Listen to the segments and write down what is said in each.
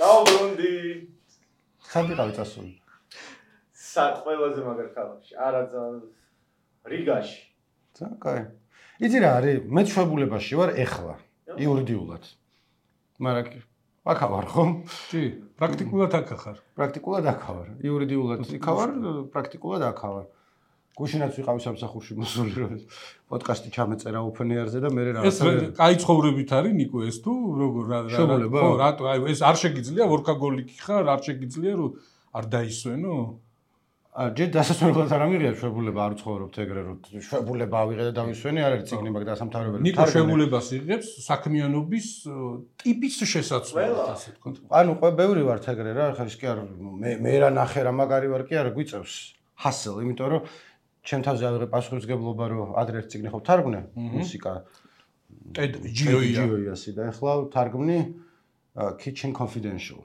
დავბრუნდი. ხანდი ყავი წასული. ყველაზე მაგარ ქალაქში, არა რიგაში. კაი. იცი რა არის, მე ჩვეულებაში ვარ ეხლა, იურიდიულად. მაგრამ აქ ვარ ხო? კი, პრაქტიკულად აქ ხარ. პრაქტიკულად აქ ვარ. იურიდიულად იქ ვარ, პრაქტიკულად აქ ვარ. გუშინაც ვიყავი სამსახურში მოსული რომ პოდკასტი ჩამეწერა ოფენიერზე და მე რაღაცა ეს კაი ცხოვრებით არის ნიკო ეს თუ როგორ ხო რატო აი ეს არ შეგიძლია ვორკაგოლიკი ხარ არ შეგიძლია რომ არ დაისვენო ჯერ დასასვენებლად არ ამიღია შვებულება არ ცხოვრობთ ეგრე რომ შვებულება ავიღე და დავისვენე არ არის ციგნი მაგ დასამთავრებელი ნიკო შვებულებას იღებს საქმიანობის ტიპის შესაძლებლად ასე თქო ანუ ყველა ბევრი ვარ ეგრე რა ხა ის კი არ მე რა ნახე რა მაგარი ვარ კი არ გვიწევს ჰასელ იმიტომ რომ ჩემ თავზე ავიღე პასუხისმგებლობა რომ ადრე ერთ ციგნი ხო თარგმნე მუსიკა ჯიოიასი და ახლა თარგმნი Kitchen Confidential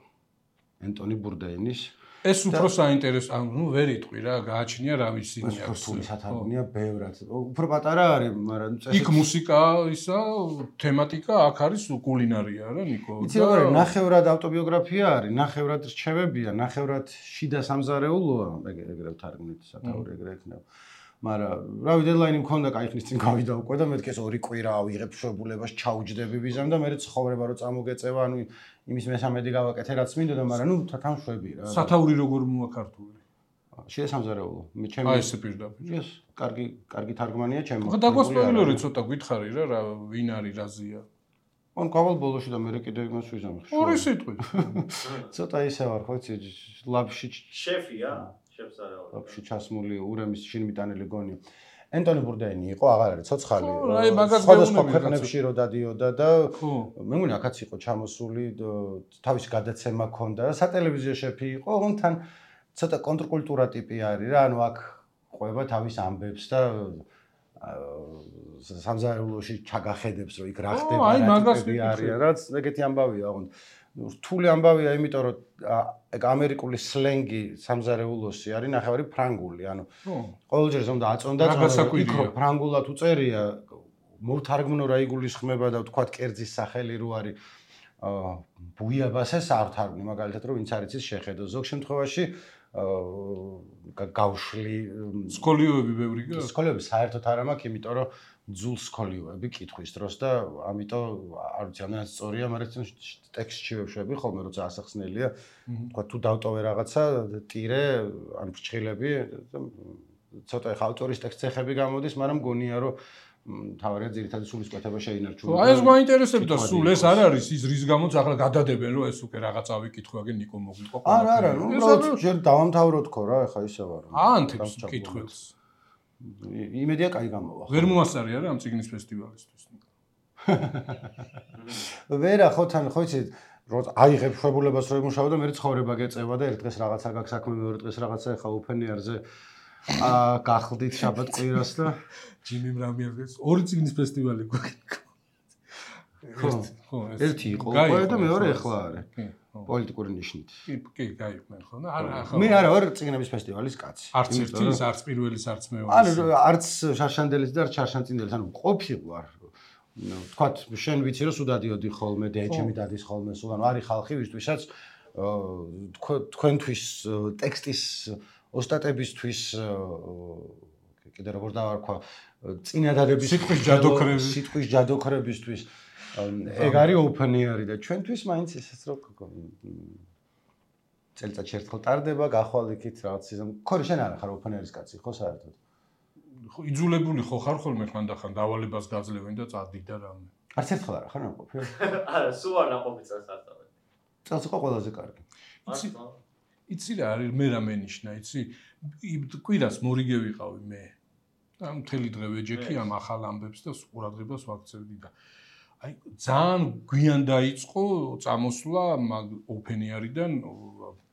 ენტონი ბურდეინის ეს უფრო საინტერესო ანუ ვერ იტყვი რა გააჩნია რა ვიცი აქვს რთული სათარგმნია ბევრად უფრო პატარა არის მაგრამ იქ მუსიკა ისა თემატიკა აქ არის კულინარია რა ნიკო იცი რა არის ნახევრად ავტობიოგრაფია არის ნახევრად რჩევებია ნახევრად შიდა სამზარეულოა ეგრე თარგმნით სათაური ეგრე იქნება მაგრამ რავი დედლაინი მქონდა кай ხნის წინ გავიდა უკვე და მეთქი ეს 2 კვირა ავიღებ შვებულებას ჩაუჯდები ვიზამ და მე ცხოვრება რომ წამოგეწევა ანუ იმის მესამედი გავაკეთე რაც მინდოდა მაგრამ ნუ თანშვები რა სათაური როგორ მოაქართული შიდა სამზარეულო მე ჩემი აი ესე პირდაპირ ეს კარგი თარგმანია ჩემო ხო დაგვასპოილერი ცოტა გითხარი რა ვინ არის რაზია ან გავალ ბოლოში და მე კიდე იმას ვიზამ ორი სიტყვი ცოტა ისე ვარ ხო იცი ლაბში შეფია ლაბში ჩასმული ურემის შინმიტანელი გონი ენტონი ბურდეინი იყო აღარ არის ცოცხალი აი მაგას სხვადასხვა ქვეყნებში რო დადიოდა და მე მგონი აქაც იყო ჩამოსული თავისი გადაცემა ჰქონდა სატელევიზიო შეფი იყო ოღონდ თან ცოტა კონტრკულტურა ტიპი არის რა ანუ აქ ყვება თავის ამბებს და სამზარეულოში ჩაგახედებს რომ იქ რა ხდება რა ტიპი არის რაც ეგეთი ამბავია ოღონდ რთული ამბავია იმიტომ რომ ეგ ამერიკული სლენგი სამზარეულოსი არის ნახევარი ფრანგული ანუ ყოველჯერ ზონდა აწონდა იქ რომ ფრანგულად უწერია მოვთარგმნო რა იგულისხმება და ვთქვათ კერძის სახელი რო არის ბუიაბასეს არ თარგმნი მაგალითად რომ ვინც არ იცის შეხედო ზოგ შემთხვევაში გავშლი სკოლიოები ბევრი გაქვს სკოლიოები საერთოდ არ მაქვს იმიტომ რომ ძულ სკოლიოები კითხვის დროს და ამიტომ არ ვიცი ამდენად სწორია მაგრამ ტექსტში ვეშვები ხოლმე როცა ასახსნელია თქვა თუ დავტოვე რაღაცა ტირე ან ფრჩხილები ცოტა ხა ავტორის ტექსტები გამოდის მაგრამ მგონია რომ თავარია ძირითადი სულისკვეთება შეინარჩუნა აი ეს მაინტერესებდა სულ ეს არ არის ის რის გამოც ახლა გადადებენ რომ ეს უკვე რაღაცა ვიკითხვაგენ ნიკო მოგვიყო არა უბრალოდ ჯერ დავამთავრო თქო რა ხა ისე ვარ ანთებს კითხველს იმედია კაი გამოვა ვერ მოასწარი არა ამ ციგნის ფესტივალისთვის ვერა ხო თან ხო იცი რომ აიღებ შვებულებას რომ იმუშაო და მე ცხოვრება გეწევა და ერთ დღეს რაღაცა გაქვს საქმე მეორე დღეს რაღაცა ხა ოფენიერზე გახლდით შაბათ კვირას და ჯიმიმ რამიერს ორი ციგნის ფესტივალი გვაქვს ხო ერთი იყო უკვე და მეორე ახლა არის პოლიტიკური ნიშნით კი გაიყვნენ ხო და არა მე არა ვარ ციგნების ფესტივალის კაცი არც ერთის არც პირველის არც მეორის ანუ არც შარშანდელის და არც შარშანწინდელის ანუ ყოფილვარ ვთქვათ შენ ვიცი რომ სუდადიოდი ხოლმე დეჩემი დადის ხოლმე სულ ანუ არის ხალხი ვისთვისაც თქვენთვის ტექსტის ოსტატებისთვის კიდე როგორ დავარქვა წინადადების სიტყვის ჯადოქრებისთვის ეგ არის ოფენიერი და ჩვენთვის მაინც ესეც რო წელიწადში ერთხელ ტარდება გახვალ იქით რაღაც ისე ხო შენ არა ხარ ოფენიერის კაცი ხო საერთოდ ხო იძულებული ხო ხარ ხოლმე ხანდახან დავალებას გაძლევენ და წადი და რამე არც ერთხელ არა ხარ ნაყოფი არა სულ არ ნაყოფი წელს არ დავე წელს იყო ყველაზე კარგი იცი რა არის მე რა მენიშნა იცი კვირას მორიგე ვიყავი მე და მთელი დღე ვეჯექი ამ ახალ ამბებს და ყურადღებას ვაქცევდი და აი ძალიან გვიან დაიწყო წამოსვლა მაგ ოფენიერიდან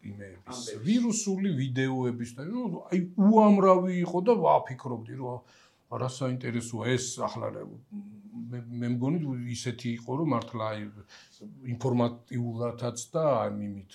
იმეების ვირუსული ვიდეოების და აი უამრავი იყო და ვაფიქრობდი რომ რა საინტერესოა ეს ახლა მე მგონი ისეთი იყო რომ მართლა აი ინფორმატიულადაც და იმით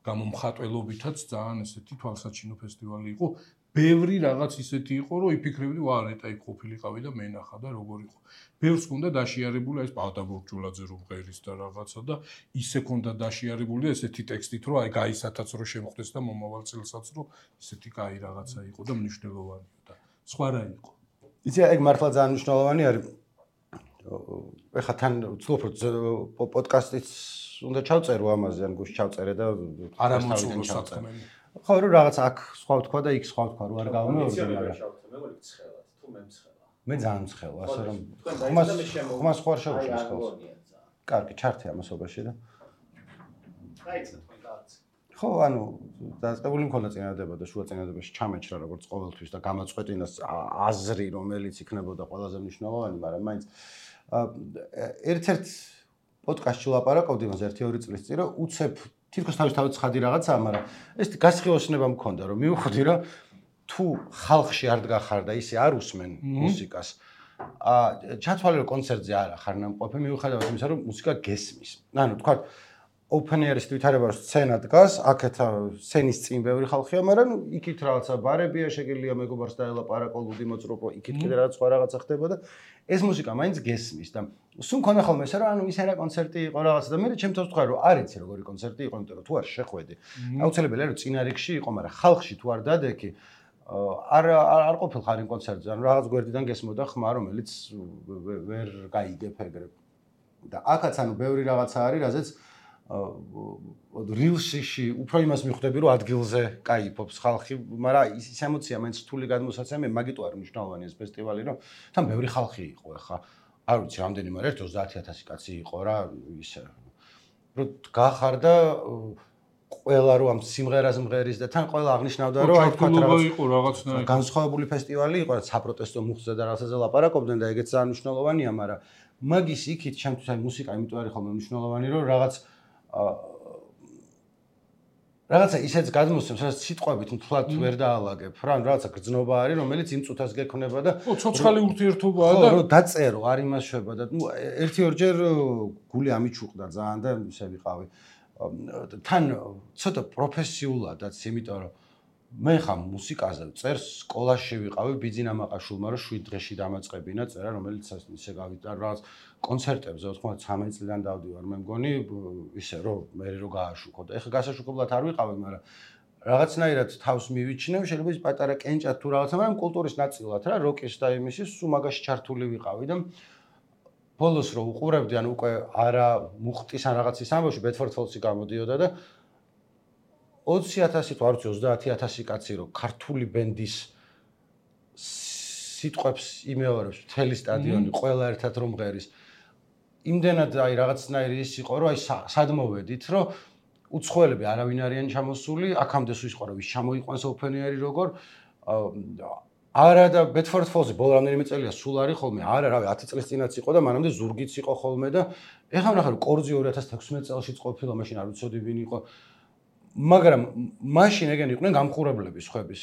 გამომხატველობითაც ძალიან ესეთი თვალსაჩინო ფესტივალი იყო ბევრი რაღაც ისეთი იყო, რომ იფიქრებდი, ვა ნეტა იქ ყოფილიყავი და მე ნახა და როგორ იყო. ბევრს ქონდა დაშიარებული ეს პავდა ბურჯულაძე რომ ღერის და რაღაცა და ისე ქონდა დაშიარებული ესეთი ტექსტით, რომ აი გაისათაც რომ შემხვდეს და მომავალ წელსაც რომ ისეთი კაი რაღაცა იყო და მნიშვნელოვანია და სხვა რა იყო. იცი ეგ მართლა ძალიან მნიშვნელოვანი არის. ეხლა თან ვცდილობ რომ პოდკასტიც უნდა ჩავწერო ამაზე, ან გუშინ ჩავწერე და არა მოწულო საქმე. ხო, რომ რაღაც აქ სხვა თქვა და იქ სხვა თქვა, რომ არ გავამეორდე მაგრამ. მეგონი ცხელად, თუ მე მცხელა. მე ძალიან მცხელა, ასე რომ ხმას ხوار შევშლის ხოლმე. კარგი, ჩართე ამასობაში და. დაიწყე თქვენ კაც. ხო, ანუ დაწყებული მქონდა წინადადება და შუა წინადადებაში ჩამეჭრა როგორც ყოველთვის და გამაწყვეტინა აზრი, რომელიც იქნებოდა ყველაზე მნიშვნელოვანი, მაგრამ მაინც ერთ-ერთ პოდკასტში ვლაპარაკობდი მას 1-2 წლის წინ, რომ უცებ თითქოს თავისთავად ცხადი რაღაცაა, მაგრამ ეს გასხიოსნება მქონდა, რომ მივხვდი, რომ თუ ხალხში არ დგახარ და ისე არ უსმენ მუსიკას, ჩათვალე რომ კონცერტზე არ ახარ ნამყოფი, მიუხედავად იმისა, რომ მუსიკა გესმის. ანუ თქვა open air-ის ვითარება სცენა დგას, აქეთა სცენის წინ ბევრი ხალხია, მაგრამ იქით რაღაცა ბარებია, შეგიძლია მეგობარს დაელაპარაკო, ლუდი მოწროპო, იქით კიდე რაღაც სხვა რაღაცა ხდება და ეს მუსიკა მაინც გესმის და სულ მქონდა ხოლმე ესე რომ ანუ ისე რა კონცერტი იყო რაღაცა და მე ჩემთვის ვთქვა რომ არ იცი როგორი კონცერტი იყო, იმიტომ რომ თუ არ შეხვედი. აუცილებელია რომ წინა რიგში იყო, მაგრამ ხალხში თუ არ დადექი, არ ყოფილხარ იმ კონცერტზე, ანუ რაღაც გვერდიდან გესმოდა ხმა, რომელიც ვერ გაიგებ ეგრე. და აქაც ანუ ბევრი რაღაცა არის, რაზეც rilsში უფრო იმას მიხვდები რომ ადგილზე кайფობს ხალხი, მაგრამ ის ემოცია მაინც რთული გადმოსაცემ, მაგიტო არ მნიშვნელოვანია ეს ფესტივალი, რომ თან ბევრი ხალხი იყო ახლა. არ ვიცი რამდენი, მაგრამ ერთ 30,000 კაცი იყო რა, ისე. რომ გახარ და ყველა რომ ამ სიმღერას მღერის და თან ყველა აღნიშნავდა რომ აი თქვა რაღაცნაირად განსხვავებული ფესტივალი იყო, რაც საპროტესტო მუხზე და რაღაცაზე ლაპარაკობდნენ და ეგეც ძალიან მნიშვნელოვანია, მაგრამ მაგის იქით ჩემთვის აი მუსიკა იმიტომ არის ხოლმე მნიშვნელოვანი, რომ რაღაცა ისეც გადმოსცემს, რაც სიტყვებით მთლად ვერ დაალაგებ. რა, რაღაცა გრძნობა არის, რომელიც იმ წუთას გექნება და ცოცხალი ურთიერთობაა და რომ დაწერო, არ იმასშვება და ერთი-ორჯერ გული ამიჩუყდა ძალიან და ისე ვიყავი. თან ცოტა პროფესიულადაც, იმიტომ რომ მე ხა მუსიკაზე წერს, სკოლაში ვიყავი ბიძინა მაყაშულმა, რომ 7 დღეში დამაწყებინა წერა, რომელიც ისე გავიტარ რაღაც კონცერტებზე 93 წლიდან დავდივარ, მე მგონი ისე რომ მე რო გააშუქო და ეხლა გასაშუქებლად არ ვიყავი, მაგრამ რაღაცნაირად თავს მივიჩნევ, შეიძლება ის პატარა კენჭად თუ რაღაცა, მაგრამ კულტურის ნაწილად რა, როკის და იმისის სულ მაგაში ჩართული ვიყავი და ბოლოს რო უყურებდი, ანუ უკვე არა მუხტის ან რაღაცის ამბავში, Bedford Falls-ი გამოდიოდა და 20,000 თუ არ ვიცი 30,000 კაცი რო ქართული ბენდის სიტყვებს იმეორებს მთელი სტადიონი, ყველა ერთად რომ მღერის. იმდენად აი რაღაცნაირი ის იყო, რომ აი სად მოვედით, რომ უცხოელები არავინ არიან ჩამოსული, აქამდე სულ იყო, რომ ვის ჩამოიყვანს ოფენერი როგორ არა და Bedford Falls-ი ბოლო რამდენიმე წელია სულ არის ხოლმე, არა რავი 10 წლის წინაც იყო და მანამდე ზურგიც იყო ხოლმე და ეხლა ვნახე რომ კორძი 2016 წელშიც ყოფილა, მაშინ არ ვიცოდი ვინ იყო. მაგრამ მაშინ ეგენი იყვნენ გამხურებლები სხვების.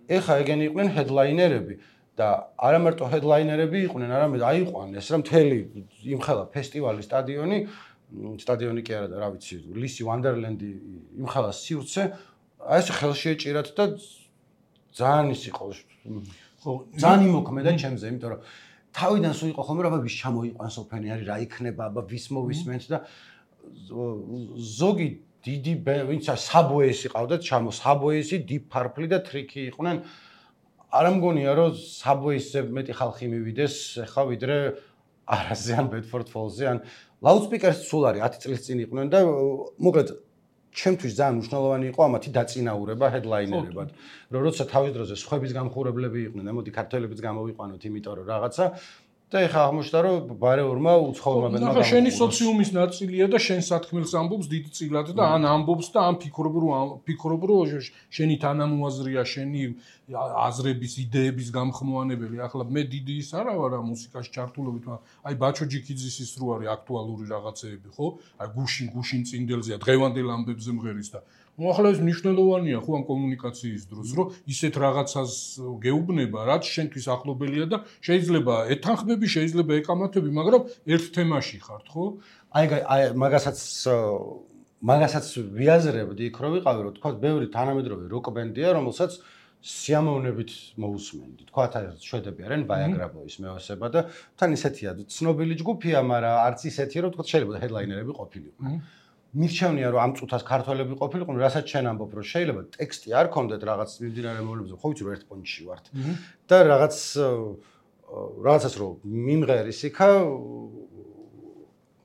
ეხლა ეგენი იყვნენ ჰედლაინერები და არა მარტო ჰედლაინერები იყვნენ, არამედ აიყვანეს რა მთელი იმხელა ფესტივალი სტადიონი კი არა და რა ვიცი, ლისი ვანდერლენდი იმხელა სივრცე, აი ეს ხელში ეჭირათ და ძალიან ის იყო. ხო, ძალიან იმოქმედა ჩემზე, იმიტომ რომ თავიდან სულ იყო ხოლმე რა ვის ჩამოიყვანს ოფენერი, რა იქნება, აბა ვის მოვისმენთ და ზოგი დიდი ვინც საბოეისი ყავდათ საბოეისი, Deep Purple და Tricky იყვნენ. არ მგონია რომ საბოეისზე მეტი ხალხი მივიდეს ახლა ვიდრე არაზე ან Bedford Falls-ზე ან Loudspeakers სულ არის 10 წლის წინ იყვნენ და მოკლედ ჩემთვის ძალიან მნიშვნელოვანი იყო ამათი დაწინაურება headlinerებად. რომ როცა თავის დროზე სხვების გამხურებლები იყვნენ, ამოდი ქართველებიც გამოვიყვანოთ, იმიტომ რომ რაღაცა და ეხლა აღმოჩნდა რომ ბარეორმა უცხოურმა ბენდმა გამოვიდა. შენი სოციუმის ნაწილია და შენ სათქმელს ამბობს დიდ წილად და ან ამბობს და ან ფიქრობ რომ შენი თანამოაზრია, შენი აზრების, იდეების გამხმოვანებელი. ახლა მე დიდი ის არა ვარ ამ მუსიკაში ჩართულობით, მაგრამ აი ბაჩო ჯიქიძის ის რო არის აქტუალური რაღაცეები, ხო? აი გუშინ წინდელზეა, დღევანდელ ამბებზე მღერის და ახლა ეს მნიშვნელოვანია ხო ამ კომუნიკაციის დროს, რომ ისეთ რაღაცას გეუბნება, რაც შენთვის ახლობელია და შეიძლება ეთანხმები, შეიძლება ეკამათები, მაგრამ ერთ თემაში ხართ, ხო? აი მაგასაც ვიაზრებდი იქ რო ვიყავი, რომ თქვა ბევრი თანამედროვე როკ ბენდია, რომელსაც სიამოვნებით მოусმენდი. თქვათ შვედები არიან ვაიაგრაბოის მეოსება და თან ისეთია ცნობილი ჯგუფია, მაგრამ არც ისეთია, რომ თქვათ შეიძლება ჰედლაინერები ყოფილიყვნენ. მირჩევნია რომ ამ წუთას ქართველები ყოფილიყვნენ, რასაც შენ ამბობ რომ შეიძლება ტექსტი არ ქონდეთ რაღაც მიმდინარე მოვლენებზე, ხო ვიცი რომ ერთ პონჩში ვართ და რაღაცას რომ მიმღერის იქა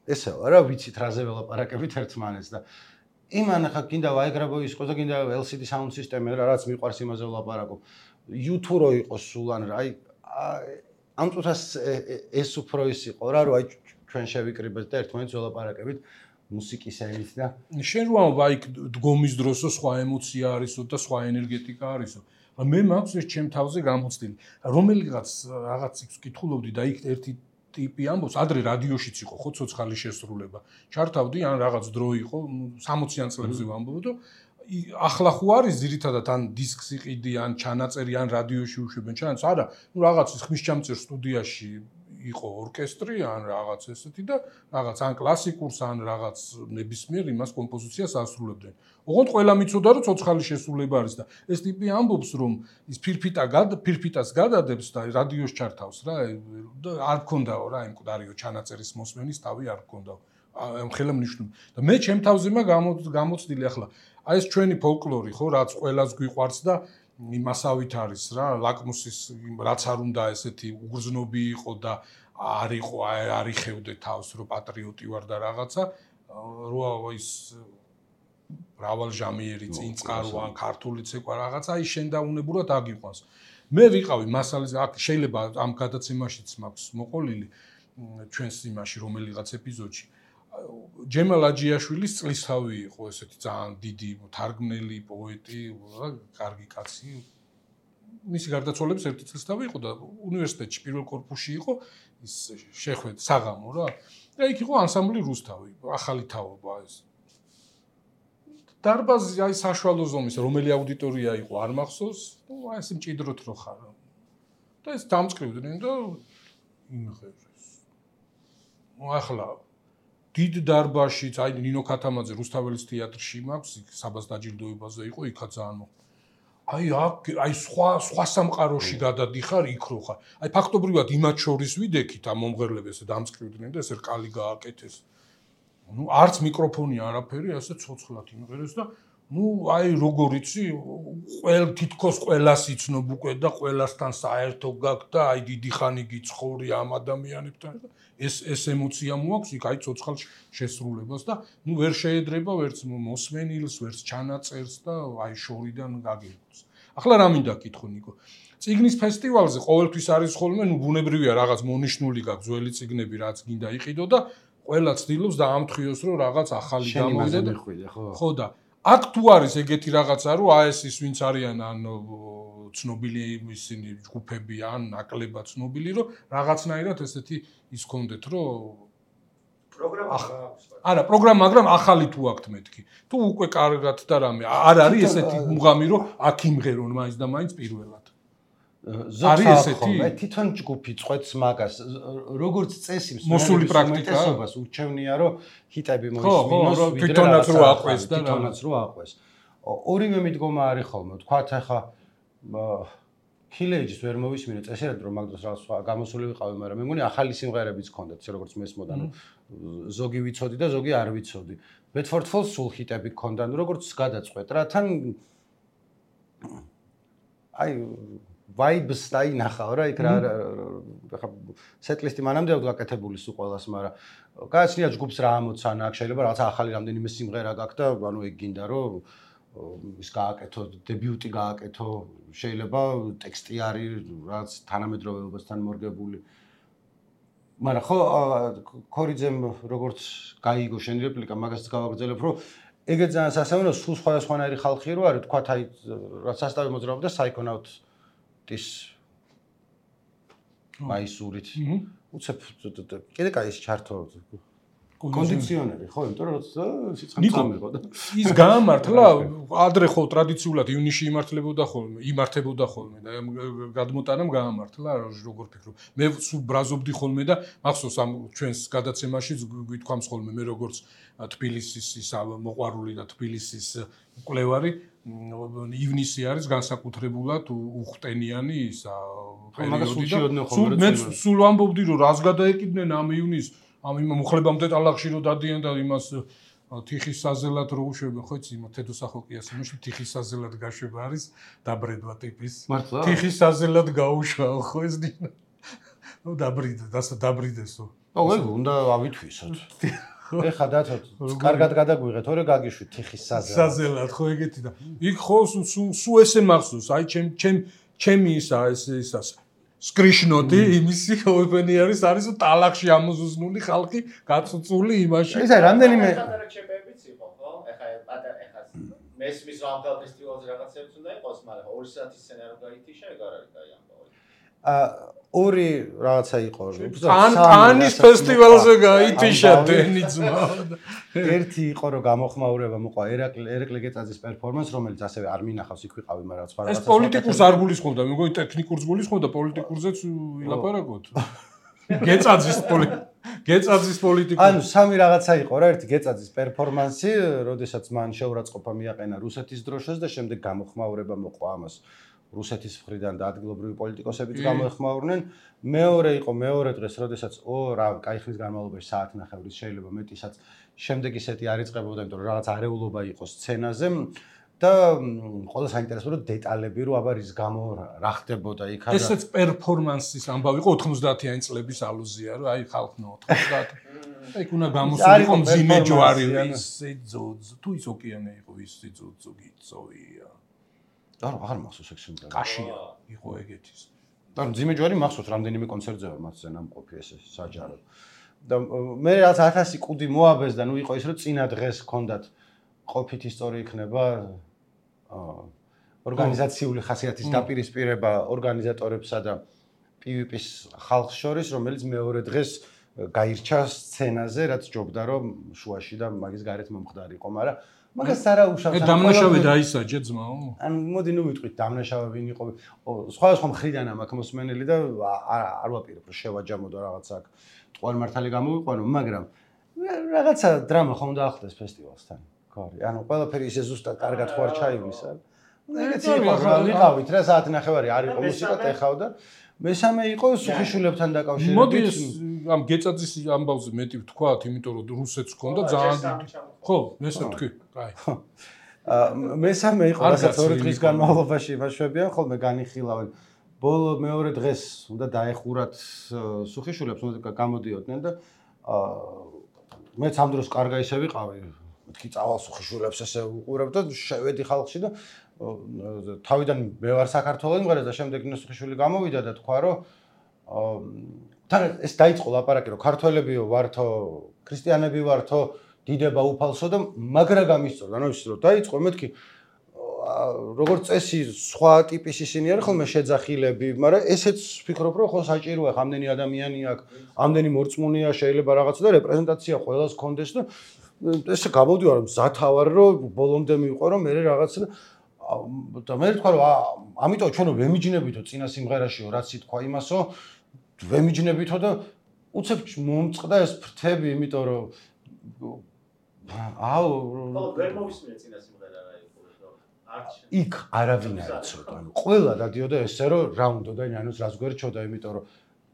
ესეო რა ვიცით რაზე ველაპარაკებით ერთმანეთს და იმან ახლა გინდა ვაიაგრაბოის ყოს და გინდა LCD sound system რაც მიყვარს იმაზე ვლაპარაკობ YouTube რო იყოს სულ ან აი ამ წუთას ეს უფრო ის იყო რა რომ აი ჩვენ შევიკრიბეთ და ერთმანეთს ველაპარაკებით მუსიკის ელით და შენ რო ამბობ აი დგომის დროსო სხვა ემოცია არისო და სხვა ენერგეტიკა არისო მე მაქვს ეს ჩემ თავზე გამოცდილი რომელიღაც რაღაც იქს ვკითხულობდი და იქ ერთი ტიპი ამბობს ადრე რადიოშიც იყო ხო ცოცხალი შესრულება ჩართავდი ან რაღაც დრო იყო 60-იან წლებზე ვამბობ და ახლა ხო არის ძირითადად ან დისკს იყიდი ან ჩანაწერი ან რადიოში უშვებენ ჩანაც არა ნუ რაღაც ხმისჩამწერ სტუდიაში იყო ორკესტრი ან რაღაც ესეთი და რაღაც ან კლასიკურს ან რაღაც ნებისმიერ იმას კომპოზიციას ასრულებდნენ. ოღონდ ყველა მიცოდა რომ ცოცხალი შესრულება არის და ეს ტიპი ამბობს რომ ის ფირფიტას გადადებს და რადიოს ჩართავს რა და არ გქონდაო რა იმ მკვდარიო ჩანაწერის მოსმენის თავი არ გქონდაო. ამ ხელა მნიშვნელობა. და მე ჩემ თავზე გამოცდილი ახლა აი ეს ჩვენი ფოლკლორი ხო რაც ყველას გვიყვარს და იმასავით არის რა ლაკმუსის რაც არ უნდა ესეთი უგრძნობი იყო და არ იყო არ იხევდე თავს რომ პატრიოტი ვარ და რაღაცა რო ის მრავალჟამიერი წინწყარო ან ქართული ცეკვა რაღაცა აი შენდაუნებურად აგიყვანს მე ვიყავი მასალაზე აქ შეიძლება ამ გადაცემაშიც მაქვს მოყოლილი ჩვენს იმაში რომელიღაც ეპიზოდში ჯემალ აჯიაშვილის წლისთავი იყო ესეთი ძალიან დიდი თარგმნელი პოეტი, კარგი კაცი. მისი გარდაცვალების ერთი წლისთავი იყო და უნივერსიტეტში პირველ კორპუსში იყო ის შეხვედრა საღამო რა. და იქ იყო ანსამბლი რუსთავი, ახალი თაობა ეს. დარბაზი აი საშუალო ზომის რომელი აუდიტორია იყო არ მახსოვს, ნუ აი ეს მჭიდროთ რო ხარ. და ეს დამწყივდნენ და იმღერეს. ნუ ახლა დიდ დარბაზშიც აი ნინო ქათამაძე რუსთაველის თეატრში მაქვს იქ საბას დაჯილდოებაზე იყო იქაც ძალიან აი სხვა სამყაროში გადადიხარ იქ რო ხარ აი ფაქტობრივად იმათ შორის ვიდექით ამ მომღერლებს დამწყივდნენ და ესე რკალი გააკეთეს ნუ არც მიკროფონი არაფერი ასე ცოცხლად იმღერეს და ნუ აი როგორ იცი თითქოს ყველას იცნობ უკვე და ყველასთან საერთო გაქვს და აი დიდი ხანი გიცხოვრი ამ ადამიანებთან და ეს ემოცია მოაქვს იქ აი ცოცხალ შესრულებას და ნუ ვერ შეედრება ვერც მოსმენილს ვერც ჩანაწერს და აი შორიდან გაგიყვანს. ახლა რა მინდა კითხო ნიკო. წიგნის ფესტივალზე ყოველთვის არის ხოლმე ნუ ბუნებრივია რაღაც მონიშნული გაქვს ძველი წიგნები რაც გინდა იყიდო და ყველა ცდილობს და ამთხრიოს რომ რაღაც ახალი გამოვიდა და ხო და აქ თუ არის ეგეთი რაღაცა რომ აი ეს ვინც არიან ან ცნობილი ისინი ჯგუფები ან ნაკლებად ცნობილი რომ რაღაცნაირად ესეთი ის კონდეთ რომ პროგრამა აქვს. არა პროგრამა მაგრამ ახალი თუ აქვთ მეთქი თუ უკვე კარგად და რამე არ არის ესეთი მუღამი რომ აქ იმღერონ მაინც და მაინც პირველად არის ესეთი თვითონ ჯგუფი წვეთს მაგას როგორც წესი მოსული პრაქტიკას ურჩევნია რომ ჰიტები მოისმინოს თვითონაც რო აყვეს და თვითონაც რო აყვეს ორივე მიდგომა არის ხოლმე თქვათ ახლა ქილეჯის ვერ მოვისმინე წესერად რომ მაგდროს რაღაც სხვა გამოსული ვიყავი მაგრამ მე მგონი ახალი სიმღერებიც ჰქონდათ ისე როგორც მესმოდა ნუ ზოგი ვიცოდი და ზოგი არ ვიცოდი ბედფორდ ფოლს სულ ჰიტები ჰქონდა ნუ როგორც გადაწყვეტ რა თან აი vibes დაინახავ რა იქ რა ხა სეტლისტი მანამდე გაკეთებული სულ ყველას მაგრამ გააცნია ჯგუფს რა ამოცანა აქვს შეიძლება რაღაც ახალი რამდენიმე სიმღერა გაქვს და ანუ ეგ გინდა რომ ის გააკეთო დებიუტი გააკეთო შეიძლება ტექსტი არის რაც თანამედროვეობასთან მორგებული მაგრამ ხო ქორიძემ როგორც გაიგო შენი რეპლიკა მაგასაც გავაგრძელებ რომ ეგეც ძალიან სასწაულო სულ სხვადასხვანაირი ხალხი რო არის თქვათ აი რაც სასტავი მოძრაობდა საიკონავტის მაისურით უცებ კიდე კაი ის ჩართო კონდიციონერი ხო იმიტომ რომ სიცხე მიყო და ის გაამართლა ადრე ხო ტრადიციულად ივნისში იმართებოდა ხოლმე და გადმოტანამ გაამართლა როგორ ფიქრობ მე სულ ბრაზობდი ხოლმე და მახსოვს ამ ჩვენს გადაცემაში გვითქვამს ხოლმე მე როგორც თბილისის ის მოყვარული და თბილისის მკვლევარი ივნისი არის განსაკუთრებულად უხტენიანი ისა პერიოდი და სულ ამბობდი რომ რას გადაეკიდნენ ამ ივნისს ამ იმ მუხლებამდე ტალახში რომ დადიან და იმას თიხის საზელად რო უშვებენ ხო იცი იმ თედოსახოკიას იმაში თიხის საზელად გაშვება არის დაბრედვა ტიპის თიხის საზელად გაუშვაო ხო ეს დინა ნუ დაბრიდესო ეგ უნდა ავითვისოთ ეხა დათო კარგად გადაგვიღეთ ორი გაგიშვით თიხის საზელად ხო ეგეთი და იქ ხო სუ ესე მახსოვს აი ჩემი ისა სკრიშნოდი იმისი ოპენიერის არის ტალახში ამოზუსნული ხალხი გაწუწული იმაში ისა რამდენიმე ჩეპებიც იყო ხო ეხა მესმის რამგალ ფესტივალზე რაღაცებს უნდა იყოს მაგრამ 2 საათის სცენარო გაითიშა ეგ არ არის კაი ამბავი ორი რაღაცა იყო ანის ფესტივალზე გაითიშა დენიძმა ერთი იყო რომ გამოხმაურება მოყვა ერეკლე გეწაძის პერფორმანს რომელიც ასევე არ მინახავს იქ ვიყავი მაგრამ სხვა ეს პოლიტიკურს არ გულისხმობდა მეგონი ტექნიკურს გულისხმობდა პოლიტიკურზეც ილაპარაკოთ გეწაძის პოლიტიკურ ანუ სამი რაღაცა იყო რა ერთი გეწაძის პერფორმანსი როდესაც მან შეურაცხყოფა მიაყენა რუსეთის დროშას და შემდეგ გამოხმაურება მოყვა ამას რუსეთის მხრიდან და ადგილობრივი პოლიტიკოსებიც გამოეხმაურნენ. მეორე დღეს, როდესაც რა კაი ხნის განმავლობაში საათნახევრის შეიძლება მეტისაც შემდეგ ისეთი არ იწყებოდა, იმიტომ რომ რაღაც არეულობა იყო სცენაზე და ყველა საინტერესო რომ დეტალები რომ აბა რის გამო რა ხდებოდა იქ არა. ესეც პერფორმანსის ამბავი იყო 90-იანი წლების ალუზია, რომ აი ხალხნო 90. აი უნდა გამოსულიყო მძიმე ჯვარი ისე თუ ის ოკეანე იყო ისე გიწოვია. არ მახსოვს ეგ სიმღერა. კაშია იყო ეგეთის. და მძიმე ჯვარი მახსოვს რამდენიმე კონცერტზე ვარ მასზე ნამყოფი ესე საჯარო. და მე რაც 1000 კუდი მოაბეს და ნუ იყო ის რომ წინა დღეს ჰქონდათ ყოფით ისტორია იქნება ორგანიზაციული ხასიათის დაპირისპირება ორგანიზატორებსა და PVP-ს ხალხს შორის რომელიც მეორე დღეს გაირჩა სცენაზე რაც ჯობდა რომ შუაში და მაგის გარეთ მომხდარიყო მაგრამ მაგას არა უშავს. დამნაშავე დაისაჯა ძმაო. ანუ მოდი ნუ ვიტყვით დამნაშავე ვინ იყო. სხვა მხრიდან ამ აქ მოსმენელი და არ ვაპირებ რომ შევაჯამოდო რაღაცა აქ ტყუარი მართალი გამოვიყვანო, მაგრამ რაღაცა დრამა ხომ დაახდეს ფესტივალსთან. გარი. ანუ ყველაფერი ისე ზუსტად კარგად ხო არ ჩაივლის არა. ეგეთი იყო რა ვიყავით რა საათნახევარი არ იყო მუსიკა ტეხავდა. მესამე იყო სუხიშვილებთან დაკავშირებით. მოდი ამ გეწაძის ამბავზე მეტი ვთქვათ, იმიტომ რომ რუსეთს ჰქონდა ძალიან დიდი. ხო, ესე ვთქვი. კაი. მესამე იყო რასაც 2 დღის განმავლობაში იმაშვებიან, ხოლმე განიხილავენ. ბოლო მეორე დღეს უნდა დაეხურათ სუხიშვილებს, უნდა გამოდიოდნენ და მეც ამ დროს კარგა ისე ვიყავი. მეთქი წავალ სუხიშვილებს ესე უყურებ და შევედი ხალხში და თავიდან მე ვარ საქართველოს მღერას და შემდეგ ნესუხიშვილი გამოვიდა და თქვა რომ თან ეს დაიწყო ლაპარაკი რომ ქართველებიო ვართო ქრისტიანები ვართო დიდება უფალსო და მაგრა გამისწორდა ანუ ის რომ დაიწყო მეთქი როგორც წესი სხვა ტიპის ისინი არის ხოლმე შეძახილები მაგრამ ესეც ვფიქრობ რომ ხო საჭიროა ამდენი ადამიანი აქვს ამდენი მორწმუნეა შეიძლება რაღაცა და რეპრეზენტაცია ყველას კონდეს და ესე გამოდივარ მზათავარ რომ ბოლომდე მივყო რომ მე რაღაცა და მე თქვა რომ ამიტომ ჩვენო ვემიჯნებითო წინა სიმღერაშიო რაც ითქვა იმასო ვემიჯნებითო და უცებ მომწყდა ეს ფრთები იმიტომ რომ ვერ მოვისმინე წინა სიმღერა რა იყო იქ არავინ არ იცოდა ანუ ყველა დადიოდა ესე რომ რა უნდა და ნანოს რას გვერჩოდა იმიტომ რომ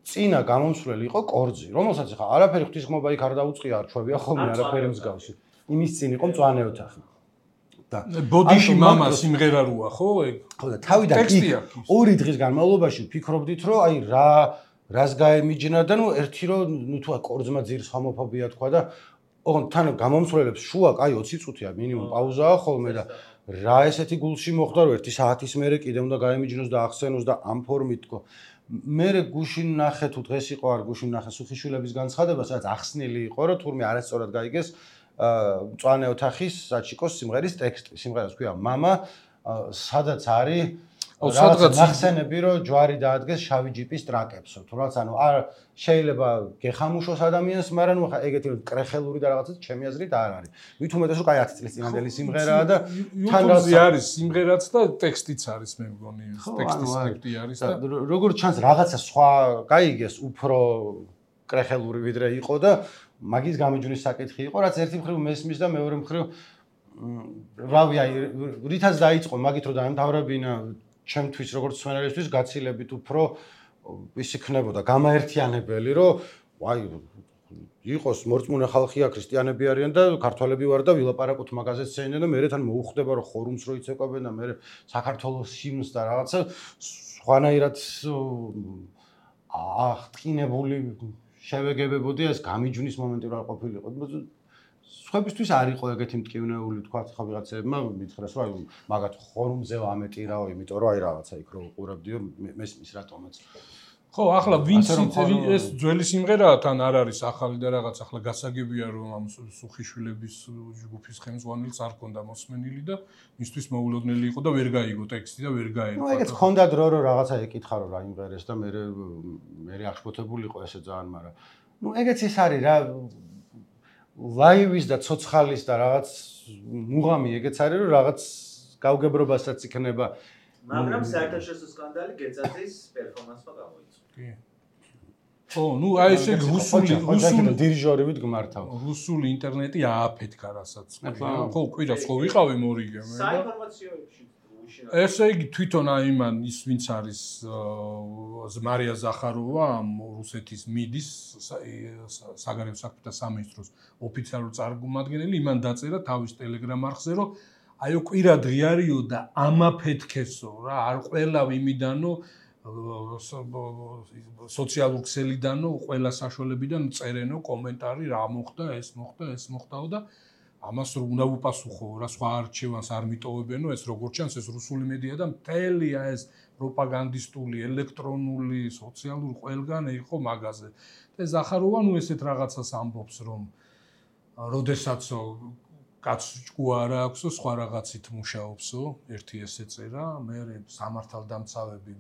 წინა გამომსვლელი იყო კორძი რომელსაც ხა არაფერი ღვთისმობა იქ არ დაუწყია არ ჩვევია ხოლმე არაფერი მსგავსი იმის წინ იყო მწვანე ოთახი ბოდიში мама სიმღერა როა ხო ეგ ხო და თავიდან იქ 2 დღის განმავლობაში ვფიქრობდით რომ აი რას გაემიჯნა და ნუ ერთი რომ ნუ თუ კორძმა ძირს ჰომოფობია თქვა და ოღონდ თან გამომსვლელებს შუა კაი 20 წუთია მინიმუმ პაუზაა ხოლმე და რა ესეთი გულში მოხდა რომ 1 საათის მერე კიდე უნდა გაემიჯნოს და ახსენოს და ამ ფორმით თქო მე გუშინ ნახე თუ დღეს იყო არ გუშინ ნახე სუხიშვილების განცხადება სადაც ახსნილი იყო რომ თურმე არასწორად გაიგეს მწვანე ოთახის საჩიკოს სიმღერის ტექსტი სიმღერას ქვია мама სადაც არის სადღაც ახსენები რომ ჯვარი დაადგეს შავი ჯიპის ტრაკებსო თუ რაც ანუ არ შეიძლება გეხამუშოს ადამიანს მაგრამ ნუ ხა ეგეთი კრეხელური და რაღაცა ჩემი აზრით არ არის ვით უმეტეს რომ კაი 10 წლის წინანდელი სიმღერაა და თან არის სიმღერაც და ტექსტიც არის მე მგონი ტექსტის სკრიპტი არის და როგორც ჩანს რაღაცა სხვა გაიგეს უფრო კრეხელური ვიდრე იყო და მაგის გამიჯვნის საკითხი იყო რაც ერთი მხრივ მესმის და მეორე მხრივ რავი, აი, რითაც დაიწყო, მაგით რომ დაემთავრებინა ჩემთვის როგორც სვენელისთვის გაცილებით უფრო ის იქნებოდა გამაერთიანებელი, რომ აი იყოს მორწმუნე ხალხი აქ ქრისტიანები არიან და ქართველები ვარ და ვილაპარაკოთ მაგაზე სცენიდან და მე თან მოუხდება რომ ხორუმს რო იცეკვებენ და მე საქართველოს ჰიმნს და რაღაცა სხვანაირად აღტკინებული შევეგებებოდი ეს გამიჯვნის მომენტი რა ყოფილიყო. სხვებისთვის არ იყო ეგეთი მტკივნეული თქვა ხა ვიღაცებმა მითხრას რომ აი მაგათ ხორუმზე ამეტი რაო, იმიტომ რომ აი რაღაცა იქ რო უყურებდიო მესმის რატომაც. ხო, ახლა ვინც ეს ძველი სიმღერაა თან არ არის ახალი და რაღაც ახლა გასაგებია რომ ამ სუხიშვილების ჯგუფის ხელმძღვანელს არ ქონდა მოსმენილი და მისთვის მოულოდნელი იყო და ვერ გაიგო ტექსტი და ვერ გაერკვა. ნუ ეგეც ქონდა დრო რომ რაღაცა ეკითხა რომ რა იმღერეს და მე აღშფოთებულიყო ესე ძალიან, მაგრამ ნუ ეგეც ის არის რა ლაივის და ცოცხალის და რაღაც მუღამი ეგეც არის რომ რაღაც გავგებრობასაც იქნება. მაგრამ საერთაშორისო სკანდალი გეცაძის პერფორმანსმა გამოიწვია. კი. ხო, ნუ აი ესე რუსული დირიჟორებით გმართავ. რუსული ინტერნეტი ააფეთქა რასაც. ხო, კვირას ხო ვიყავი მორიგე მე. საინფორმაციო ესე იგი თვითონ აი მან ის ვინც არის მარია ზახაროვა რუსეთის მიდის საგარეო საქმეთა სამინისტროს ოფიციალური წარმომადგენელი იმან დაწერა თავის ტელეგრამ არხზე რომ აიო კვირა დღიარიო და ამაფეთქესო რა არ ყველა იმიდანო სოციალურ ქსელიდანო ყველა საშუალებიდან წერენო კომენტარი რა მოხდა ეს მოხდაო და ამას რომ უნდა უპასუხო რა სხვა არჩევანს არ მიტოვებენო ეს როგორც ჩანს ეს რუსული მედია და მთელია ეს პროპაგანდისტული ელექტრონული სოციალური ყველგან იყო მაგაზე და ზახაროვა ნუ ესეთ რაღაცას ამბობს რომ როდესაც კაცჭკუ არ აქვსო სხვა რაღაცით მუშაობსო ერთი ესე წერა მე სამართალდამცავები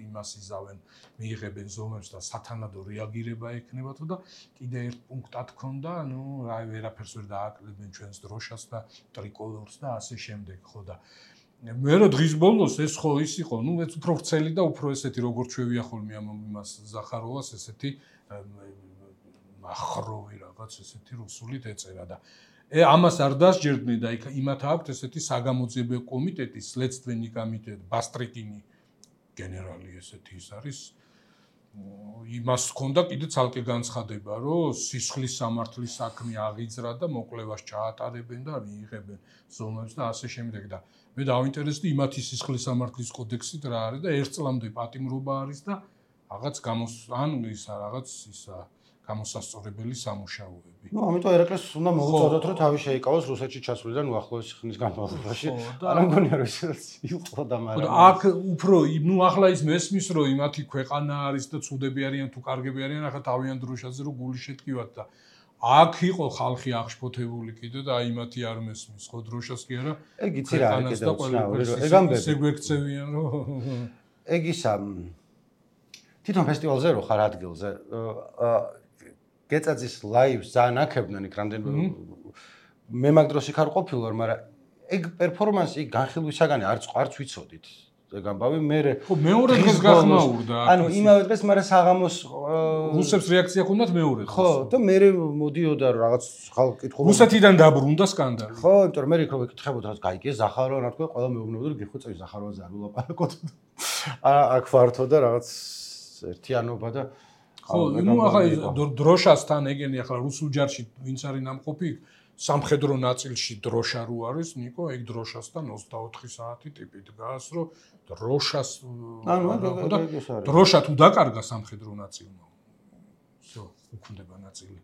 იმას იზავენ მიიღებენ ზომებს და სათანადო რეაგირება ექნებათო და კიდე ერთ პუნქტად ქონდა ნუ აი ვერაფერს ვერ დააკლებენ ჩვენს დროშას და ტრიკოლორს და ასე შემდეგ ხო და მე რო დღის ბოლოს ეს ხო ის იყო ნუ ეს უფრო ვრცელი და უფრო ესეთი როგორც ჩვევია ხოლმე ამ იმას ზახაროვას ესეთი ახროვი რაღაც ესეთი რუსულით ეწერა და ამას არ დასჯერდნენ და იმათ აქვთ ესეთი საგამოძიებო კომიტეტი, следственный комитет, ბასტრიკინი გენერალი ესეთი ის არის. იმას ჰქონდა კიდე ცალკე განცხადება, რომ სისხლის სამართლის საქმე აღიძრა და მოკვლევას ჩაატარებენ და მიიღებენ ზომებს და ასე შემდეგ და მე დავინტერესდი იმათი სისხლის სამართლის კოდექსით რა არის და ერთ წლამდე პატიმრობა არის და რაღაც ან ისა რაღაც ისა გამოსასწორებელი სამუშაოები. ნუ ამიტომ ერაკლეს უნდა მოუწოდოთ რომ თავი შეიკავოს რუსეთში ჩასვლიდან უახლოესი ხნის განმავლობაში. არ მგონია რომ ისედაც იყო და მაგრამ აქ უფრო ნუ ახლა ის მესმის რომ იმათი ქვეყანა არის და ცუდები არიან თუ კარგები არიან ახლა თავიანთ დროშაზე რომ გული შეტკივათ და აქ იყო ხალხი აღშფოთებული კიდე და აი იმათი არ მესმის ხო დროშას კი არა ეგ იცი რა არის კიდე უცნაური რომ ეგ ამბები ესე გვექცევიან რომ ეგ ისა თვითონ ფესტივალზე რო ხარ ადგილზე გეწაძის ლაივს ძალიან აქებდნენ იქ რამდენი მე მაგ დროს იქ არ ყოფილი ვარ, მაგრამ ეგ პერფორმანსი იქ განხილვისაგანი არც ვიცოდით. ეგ ამბავი მე ხო მეორე დღეს გახმაურდა. ანუ იმავე დღეს მაგრამ საღამოს რუსებს რეაქცია ჰქონდათ მეორე დღეს. ხო და მე მოდიოდა რაღაც ხალხი კითხულობდა. რუსეთიდან დაბრუნდა სკანდალი. ხო, იმიტომ რომ მე იქ რო ვეკითხებოდა რა გაიგე ზახაროვა რა თქვა, ყველა მეუბნებოდა რომ გიხოცები ზახაროვაზე არ ვილაპარაკოთ. აქ ვართო და რაღაც ერთიანობა და ხო, ნუ ახლა დროშასთან ეგენი ახლა რუსულ ჯარში ვინც არის ნამყოფი სამხედრო ნაწილში დროშა რო არის, ნიკო, ეგ დროშასთან 24 საათი ტიპი დგას, რომ დროშას დროშა თუ დაკარგა სამხედრო ნაწილმა. всё, უქმდება ნაწილი.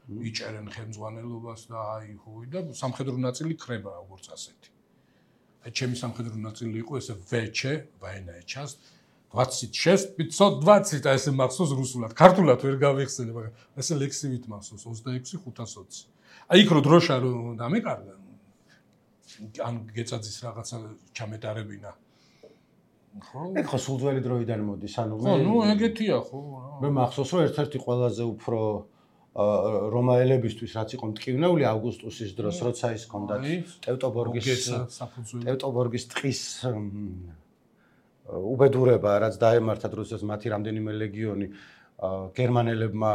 იჭერენ ხელმძღვანელობას და აი ხუი და სამხედრო ნაწილი ხრება როგორც ასეთი. აი ჩემი სამხედრო ნაწილი იყო ესე ვეჩე, ვაენაეჩას 26 520 და ესე მახსოვს რუსულად. ქართულად ვერ გავიხსენე, მაგრამ ესე ლექსივით მახსოვს 26 520. აი იქ რო დროშა რო დამეკარგა. ან გეწაძის რაღაცა ჩამეტარებინა. ხო? ეგ ხო სულ ძველი დროიდან მოდის, ანუ ხო, ნუ ეგეთია ხო. მე მახსოვს რომ ერთ-ერთი ყველაზე უფრო რომაელებისთვის რაც იყო მტკივნეული აუგუსტუსის დროს, როცა ის ჰქონდათ ტევტობორგის ტყის უბედურება, რაც დაემართათ რუსეთს მათი რამდენიმე ლეგიონი გერმანელებმა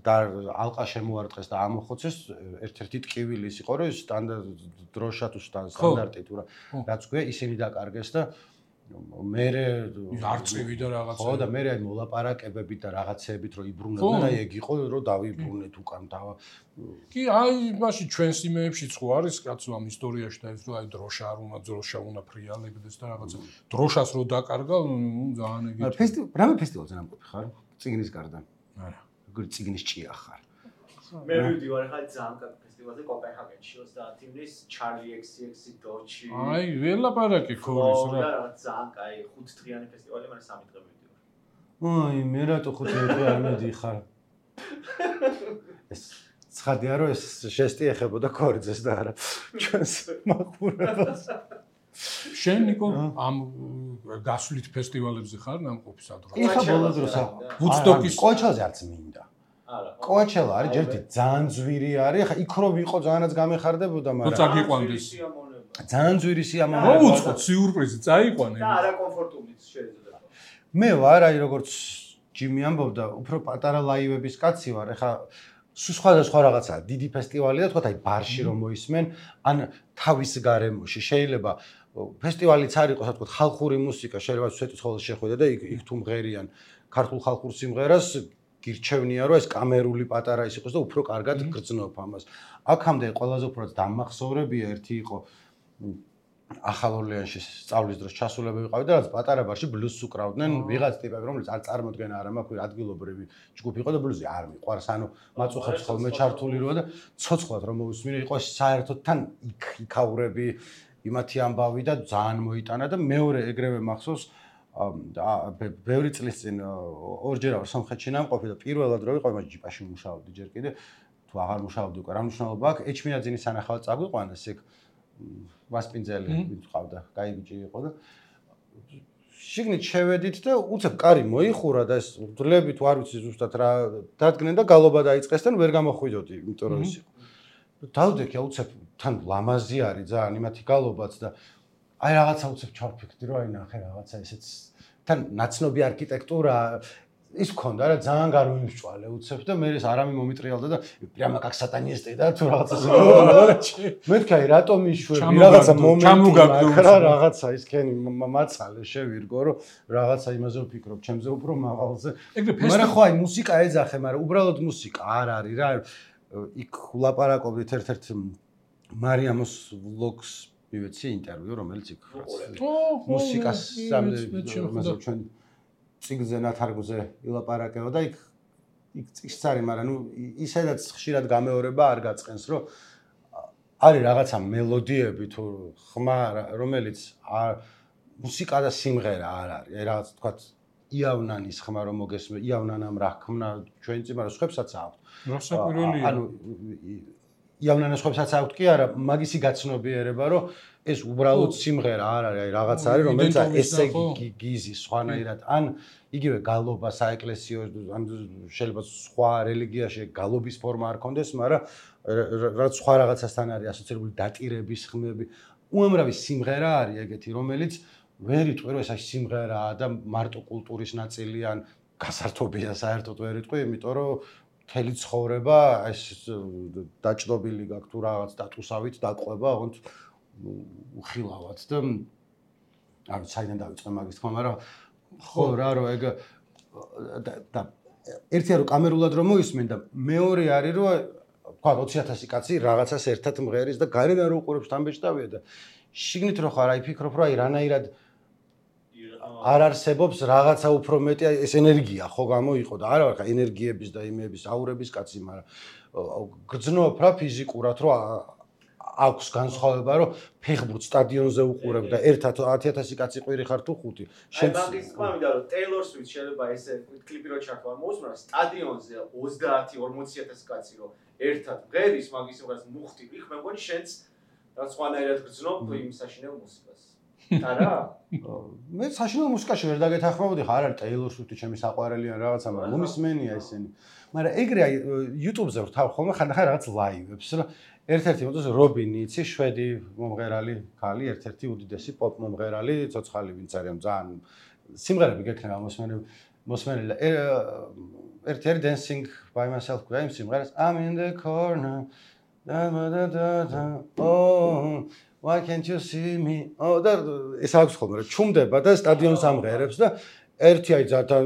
და ალყა შემოარტყეს და ამოხოცეს ერთ-ერთი ტკივილი ის იყო რომ დროშა თუ სტანდარტი თუ რაც გვია ისინი დაკარგეს და მერე არწივი და რაღაცა ხო და მერე აი მოლაპარაკებებით და რაღაცეებით რომ იბრუნებდნენ აი ეგ იყო რომ დავიბრუნეთ უკან და კი აი მაშინ ჩვენს იმეებშიც ხო არის კაცო ამ ისტორიაში და ეს რომ აი დროშა არ უნდა დროშა უნდა ფრიალებდეს და რაღაცა დროშას რო დაკარგა ძალიან ეგეთი რამე ფესტივალზე ნამყოფი ხარ წიგნის გარდა არა როგორი წიგნის ჭია ხარ მე ვიდივარ ხა ძალიან კარგ ფესტივალზე კოპენჰაგენში 30 ივნის ჩარლი XCX დოჩი აი ველაპარაკი ხორის რა რაღაც ძალიან კაი 5 დღიანი ფესტივალი მაგრამ 3 დღე მივიდივარ აი მე რატო 5 დღე არ მედიხარ ეს ცხადია რომ ეს ჟესტი ეხებოდა ქორიძეს და არა ჩვენს მაყურებელს შენ ნიკო ამ გასვლით ფესტივალებზე ხარ ნამყოფი სადღაც ეხა ბოლო დროსა ვუდსტოკის კოჩელზე არც მინდა არა კოჩელა არის ჯერთი ძალიან ძვირი არის ხა იქ რო ვიყო ძალიანაც გამეხარდებოდა მაგრამ წაგიყვანდეს ძალიან ძვირი სიამოვნება მოუწყოთ სიურპრიზი წაიყვანე და არა კომფორტულიც შეიძლება მე ვარ აი როგორც ჯიმი ამბობდა უფრო პატარა ლაივების კაცი ვარ ეხა სხვადასხვა რაღაცაა დიდი ფესტივალი და თქვა აი ბარში რომ მოისმენ ან თავის გარემოში შეიძლება ფესტივალიც არ იყოს თქვა ხალხური მუსიკა შეიძლება სვეტიცხოველს შეხვიდე და იქ თუ მღერიან ქართულ ხალხურ სიმღერას გირჩევნია რომ ეს კამერული პატარა ის იყოს და უფრო კარგად გრძნობ ამას აქამდე ყველაზე უფრო დამახსოვრებია ერთი იყო ახალ ორლეანში სწავლის დროს ჩასულები ვიყავი და რაც პატარა ბარში ბლუზს უკრავდნენ ვიღაც ტიპები რომელიც არ წარმოდგენა არ მაქვს ადგილობრივი ჯგუფი იყო და ბლუზი არ მიყვარს ანუ მაწუხებს ხოლმე ჩართული როა და ცოცხლად რომ მოვისმინე იყო საერთოდ თან იქაურები იმათი ამბავი და ძალიან მოიტანა და მეორე ეგრევე მახსოვს ბევრი წლის წინ ორჯერ ვარ სომხეთში ნამყოფი და პირველად რო ვიყავი მას ჯიპაში მუშაობდი ჯერ კიდე თუ აღარ მუშაობდი უკვე რა მნიშვნელობა აქვს ეჩმინაძინის სანახავად წაგვიყვანეს ეგ ვასპინძელი ვინც ყავდა კაი ბიჭი იყო და შიგნით შევედით და უცებ კარი მოიხურა და ეს დლები თუ არ ვიცი ზუსტად რა დადგნენ და გალობა დაიწყეს და ვერ გამოხვიდოდი იმიტომ რომ ის იყო დავდექი უცებ თან ლამაზი არის ძალიან იმათი გალობაც და აი რაღაცა უცებ ჩავფიქრდი რომ აი ნახე რაღაცა ესეც თან ნაცნობი არქიტექტურა ის მქონდა რა ძალიან გარვიმსჭვალე უცებ და მე ეს არამე მომიტრიალდა და პრიამა как сатанисты და თუ რაღაცა მეთქი აი რატომ იშვები რაღაცა მომენტი რა რაღაცა ის ქენი მაცალე შევირგო რომ რაღაცა იმაზე ვფიქრობ ჩემზე უფრო მაღალზე მაგრამ ხო აი მუსიკა ეძახე მაგრამ უბრალოდ მუსიკა არ არის რა იქ ვლაპარაკობდით ერთ-ერთ მარიამოს ვლოგს მივეცი ინტერვიუ რომელიც იქ მუსიკას სამზე ჩვენ წიგნზე ნათარგმნზე ილაპარაკება და იქ წიგნს არის, მაგრამ ნუ ისედაც ხშირად გამეორება არ გაწყენს, რომ არის რაღაცა მელოდიები თუ ხმა, რომელიც მუსიკა და სიმღერა არ არის. აი რაღაც თქვა იავნანის ხმა რომ მოგესმე, იავნანამ რა ხმნა ჩვენი წინ, მაგრამ სხვებსაც აქვს. რასაკვირველია. ანუ იავნანას სხვებსაც აქვს კი არა, მაგისი გაცნობიერება, რომ ეს უბრალოდ სიმღერა არ არის, აი რაღაც არის, რომელიც ესე გიზის სხვანაირად, ან იგივე გალობა საეკლესიო, ან შეიძლება სხვა რელიგიაში გალობის ფორმა არ კონდეს, მაგრამ რაც სხვა რაღაცასთან არის ასოცირებული დატირების ხმები, უამრავი სიმღერა არის ეგეთი, რომელიც ვერ იტყვი, რომ ეს სიმღერაა და მარტო კულტურის ნაწილი ან გასართობია საერთოდ ვერ იტყვი, იმიტომ რომ მთელი ცხოვრება ეს დაჭდობილი გაქვს თუ რაღაც დატუსავით დაყვება, ოღონდ უხილავად და არ ვიცი საიდან დავიწყე მაგის თქმა, მაგრამ ხო რა რომ ეგ და ერთია რომ კამერულად რომ მოისმენ და მეორე არის რომ თქვა 20000 კაცი რაღაცას ერთად მღერის და გარედან რო უყურებს თამბეჭდავია და შიგნით რო ხარ აი ფიქრობ რომ აი რანაირად არ არსებობს რაღაცა უფრო მეტი ეს ენერგია ხო გამოიყო და არა ვარ ხა ენერგიების და იმების აურების კაცი მაგრამ გრძნობ რა ფიზიკურად რომ აქვს განსხვავება რომ ფეხბურთ სტადიონზე უყურებ და ერთად 10000 კაცი ყვირი ხარ თუ ხუთი შენ მაგის თქმა მინდა რომ Taylor Swift შეიძლება ესე კლიპი რო ჩართვა მოусმრა სტადიონზე 30-40000 კაცი რომ ერთად მღერის მაგის უბრალოდ მუხტი იქ მე მგონი შენც რაც სხვანაირად გრძნობ იმ საშინელ მუსიკას არა მე საშინელ მუსიკაში ვერ დაგეთანხმებოდი ხა არ არის Taylor Swift ჩემი საყვარელი ან რაღაცა მაგრამ მომისმენია ესენი მაგრამ ეგრე აი YouTube-ზე ვთავ ხოლმე ხანდახან რაღაც ლაივებს რა ერთ-ერთი მოწეს რობინი იცი შვედი მომღერალი ქალი ერთ-ერთი უდიდესი პოპ მომღერალი ცოცხალი ვინც არის ძალიან სიმღერები გექნება მოსმენები მოსმენილა ერთი არის dancing by myself გვია იმ სიმღერას I'm in the corner oh why can't you see me oh და ეს აქვს ხოლმე რა ჩუმდება და სტადიონს ამღერებს და ერთი აი ზათა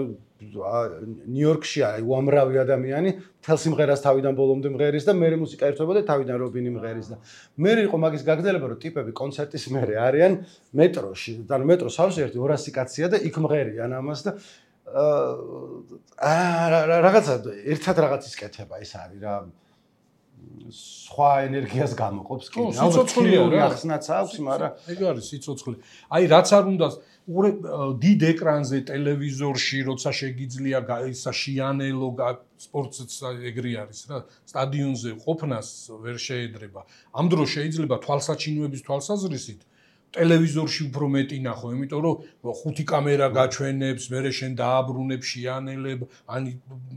ნიუ-იორკში არის უამრავი ადამიანი მთელ სიმღერას თავიდან ბოლომდე მღერის და მერე მუსიკა ერთვება და თავიდან რობინი მღერის და მერე იყო მაგის გაგრძელება რომ ტიპები კონცერტის მერე არიან მეტროში და მეტროს სავსე ერთი 200 კაცია და იქ მღერიან ამას და რაღაცა ერთად რაღაც ისკეთება ეს არის რა სხვა ენერგიას გამოყოფს კი სიცოცხლეა რა ახსნაც აქვს მაგრამ ეგ არის სიცოცხლე აი რაც არ უნდა დიდ ეკრანზე ტელევიზორში როცა შეგიძლია ისა შიანელო სპორტიც ეგრე არის რა სტადიონზე ყოფნას ვერ შეედრება ამ დროს შეიძლება თვალსაჩინოების თვალსაზრისით ტელევიზორში უფრო მეტი ნახო იმიტომ რომ ხუთი კამერა გაჩვენებს მერე შენ დააბრუნებ შიანელებ ან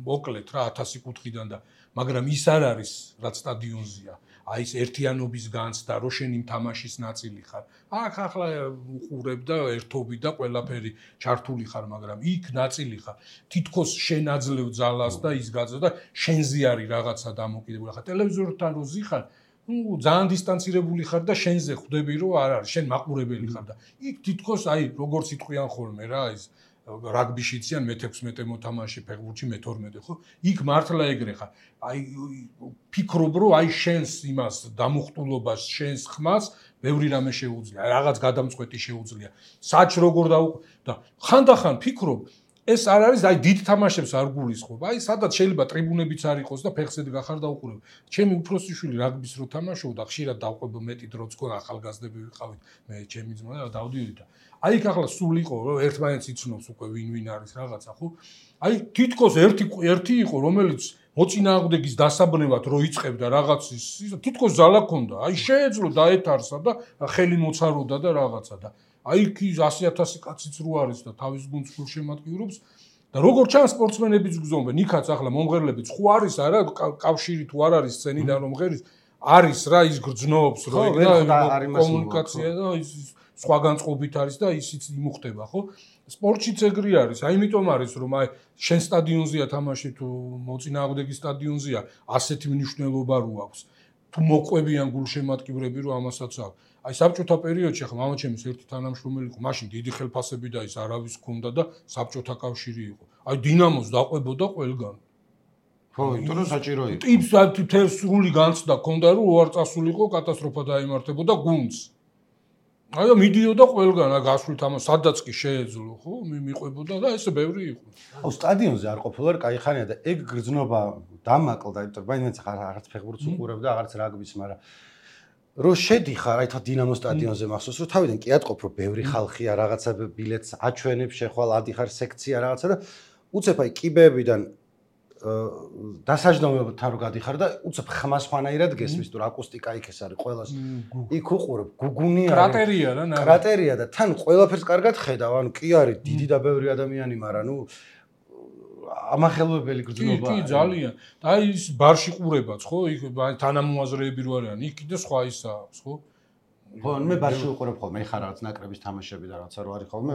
მოკლედ რა 1000 კუთხიდან და მაგრამ ის არ არის რაც სტადიონზეა აი ეს ერთიანობის განცდა რო შენ იმ თამაშის ნაწილი ხარ აქ ახლა უყურებ და ერთობი და ყველაფერი ჩართული ხარ მაგრამ იქ ნაწილი ხარ თითქოს შენ აძლევ ძალას და ის გაძლევ და შენზე არის რაღაცა დამოკიდებული ხარ ტელევიზორთან რო ზიხარ ну ძალიან დისტანცირებული ხარ და შენზე ხვდები რომ არ არის შენ მაყურებელი ხარ და იქ თითქოს აი როგორც იტყვიან ხოლმე რა ის რაგბიში იციან მე-16 მოთამაშე ფეხბურთში მე-12 ხო იქ მართლა ეგრე ხარ აი ფიქრობ რომ აი შენს იმას დამუხტულობას შენს ხმას ბევრი რამე შეუძლია რაღაც გადამწყვეტი შეუძლია საჭ როგორ და ხანდახან ფიქრობ ეს არ არის აი დიდ თამაშებს არ გულისხმობ აი სადაც შეიძლება ტრიბუნებიც არ იყოს და ფეხზე გახარ და უყურებ ჩემი უფროსი შვილი რაგბის რო თამაშობდა ხშირად დავყვება მეტი დროც გქონდა ახალგაზრდები ვიყავით მე ჩემი ძმა და დავდივდი და აი იქ ახლა სულ იყო რომ ერთმანეთს იცნობს უკვე ვინ არის რაღაცა ხო აი თითქოს ერთი იყო რომელიც მოწინააღმდეგის დასაბრუნებლად რო იწყებდა რაღაცის თითქოს ძალა ჰქონდა აი შეეძლო დაეთარსა და ხელი მოცაროდა და რაღაცა და აი იქ 100,000 კაციც რო არის და თავის გუნდს სულ შემატკივრობს და როგორ ჩანს სპორტსმენებიც გზნობენ იქაც ახლა მომღერლებიც ხო არის არა კავშირი თუ არ არის სცენიდან რომ მღერის არის რა ის გრძნობს რო კომუნიკაცია და ის სხვა განწყობით არის და ისიც იმუხდება ხო სპორტშიც ეგრე არის აი იმიტომ არის რომ აი შენ სტადიონზეა თამაში თუ მოწინააღმდეგის სტადიონზეა ასეთი მნიშვნელობა რო აქვს თუ მოყვებიან გულშემატკივრები რომ ამასაც აქვს აი საბჭოთა პერიოდში ახლა მამაჩემის ერთი თანამშრომელი იყო მაშინ დიდი ხელფასები და ის არავის ჰქონდა და საბჭოთა კავშირი იყო აი დინამოს დაყვებოდა ყველგან ხო იმიტომ რომ საჭირო იყო ტიპს თითქოს სრული განცდა ჰქონდა რომ უარ წასულიყო კატასტროფა დაიმართებოდა გუნდს აი და მიდიოდა ყველგან რა გასვლით ამას სადაც კი შეეძლო ხო მიყვებოდა და ესე ბევრი იყო აუ სტადიონზე არ ყოფილა კაი ხანია და ეგ გრძნობა დამაკლდა იმიტომ რომ მაინც რაღაც ფეხბურთს უყურებ და აღარც რაგბის მაგრამ რო შედიხარ აი თან დინამოს სტადიონზე მახსოვს რომ თავიდან კი ატყობ რომ ბევრი ხალხია რაღაცა ბილეთს აჩვენებს შეხვალ ადიხარ სექცია რაღაცა და უცებ აი კიბეებიდან დასაჯდომებთან რო გადიხარ და უცებ ხმას ხანაირად გესმის თუ აკუსტიკა იქ ეს არის ყველას იქ უყურებ გუგუნი არის კრატერია რა კრატერია და თან ყველაფერს კარგად ხედავ ანუ კი არის დიდი და ბევრი ადამიანი მაგრამ ნუ ამახელვებელი გრძნობა კი ძალიან და აი ის ბარში ყურებაც ხო იქ თანამოაზრეები რო არიან იქ კიდე სხვა ისა აქვს ხო ხო მე ბარში უყურებ ხოლმე ეხა რაღაც ნაკრების თამაშები და რაღაცა რო არის ხოლმე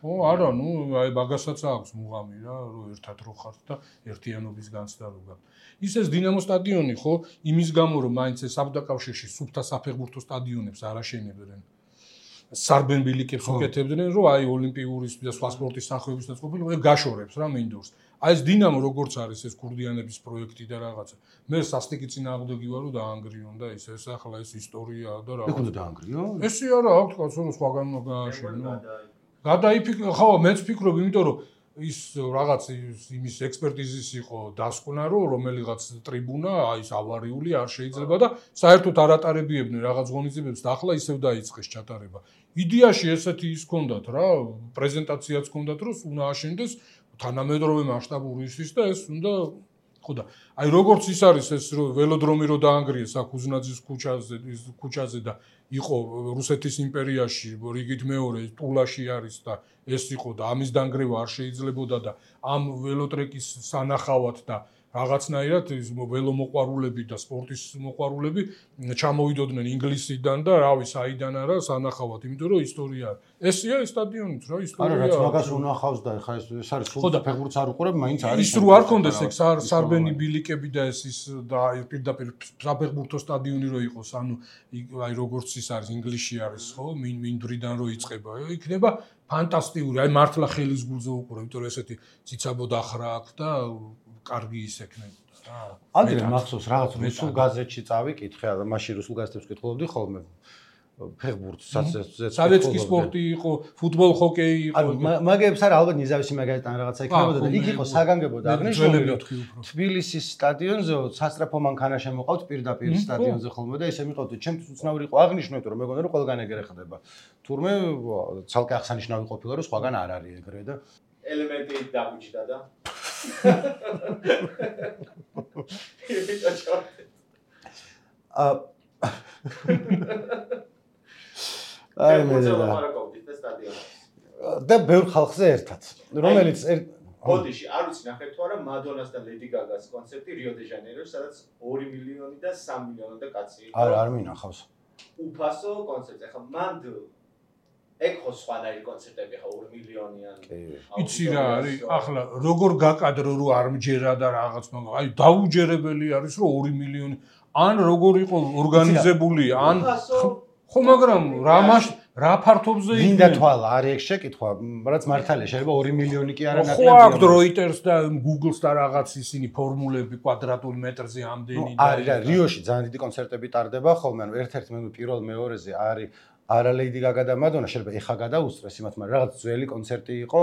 ო არა ნუ აი მაგასაც აქვს მუღამი რა რომ ერთად რო ხართ და ერთიანობის განცდა რო გაქვს ისეს დინამო სტადიონი ხო იმის გამო რომ მაინც ეს საბჭოთა კავშირში სუფთა საფეხბურთო სტადიონებს არ აშენებდნენ სარბენ ბილიკებს უკეთებდნენ რომ აი ოლიმპიური და სხვა სპორტის სახეობებსაც ყოფილიყო ეგ გაშორებს რა მინდორს აი ეს დინამო როგორც არის ეს კურდიანების პროექტი და რაღაცა მე სასტიკი წინააღმდეგი ვარო დაანგრიონ და ეს ახლა ეს ისტორიაა და რა ეგ უნდა დაანგრიო ესე არა აქვს კაცო რომ სხვაგან გააშენო გადაიფიქრე ხო მეც ფიქრობ იმიტომ რომ ის რაღაც იმის ექსპერტიზის იყო დასკვნა რომ რომელიღაც ტრიბუნა აი ეს ავარიული არ შეიძლება და საერთოდ არ ატარებიებდნენ რაღაც ღონისძიებებს და ახლა ისევ დაიწყეს ჩატარება იდეაში ესეთი ის ჰქონდათ რა პრეზენტაციაც ჰქონდათ რომ უნდა აშენდეს თანამედროვე მასშტაბური ის და ეს უნდა ხო და აი როგორც ის არის ეს ველოდრომი რო დაანგრიეს აქ უზნაძის ქუჩაზე და იყო რუსეთის იმპერიაში რიგით მეორე ტულაში არის და ეს იყო და ამის დანგრევა არ შეიძლებოდა და ამ ველოტრეკის სანახავად და რაღაცნაირად ის ველომოყვარულები და სპორტის მოყვარულები ჩამოვიდოდნენ ინგლისიდან და რავი საიდან არა სანახავად, იმიტომ რომ ისტორია. ესია ეს სტადიონიც რა ისტორია. არა, რაც მაგას უნახავს და ხა ეს არის სულ ფეხბურთს არ უყურებ, მაინც არის. ის რო არ კონდეს ეგ სარბენი ბილიკები და ის და პირდაპირ საფეხბურთო სტადიონი რო იყოს, ანუ აი როგორც ის არის ინგლისში არის, ხო? მინდვრიდან რო იწყება, იქნება ფანტასტიკური. აი მართლა ხელის გულზე უყურებ, იმიტომ რომ ესეთი ციცაბო დახრა აქვს და კარგი ის ექნებოდა რა. ადრე მახსოვს რაღაც რუსულ გაზეთში წავიკითხე, მაშინ რუსულ გაზეთებს ვკითხულობდი ხოლმე ფეხბურთს, სადაც კი სპორტი იყო, ფუტბოლ, ჰოკეი იყო. მაგებს არა ალბათ ნიზავისი მაგალითად რაღაცა იქნებოდა და იქ იყო საგანგებო და აღნიშნული თბილისის სტადიონზე სასწრაფო მანქანა შემოყავთ პირდაპირ სტადიონზე ხოლმე და ესე მიყავთ. ჩემთვის უცნაური იყო აღნიშნული, რომ მეგონა რომ ყველგან ეგრე ხდება. თურმე ცალკე აღსანიშნავი ყოფილა რომ სხვაგან არ არის ეგრე და ელემენტი დაგუჭდა და აი მე და ბევრ ხალხზე ერთად რომელიც ბოდიში არ ვიცი ნახეთ თუ არა მადონას და ლედი გაგას კონცერტი რიო დე ჟანეიროში სადაც 2 მილიონი და 3 მილიონი და კაცი იყო არ მინახავს უფასო კონცერტი ახლა მანდ ეგ ხო სხვანაირი კონცერტები ხა 2 მილიონიანი იცი რა არის ახლა როგორ გაკადრო რო არ მჯერა და რაღაც მაგრამ აი დაუჯერებელი არის რომ 2 მილიონი ან როგორ იყო ორგანიზებული ან ხო მაგრამ რა ფართობზე იქნება მინდა თვალა არის ეგ შეკითხვა რაც მართალია შეიძლება 2 მილიონი კი არა ნაკლებია ხო აქვს Reuters და Google-ს და რაღაც ისინი ფორმულები კვადრატულ მეტრზე ამდენი და არის რა რიოში ძალიან დიდი კონცერტები ტარდება ხოლმე ანუ ერთ-ერთ მე პირველ მეორეზე არის არა ლეიდი გაგა და მადონა შეიძლება ეხა გადაუსწრეს იმათ მაგრამ რაღაც ძველი კონცერტი იყო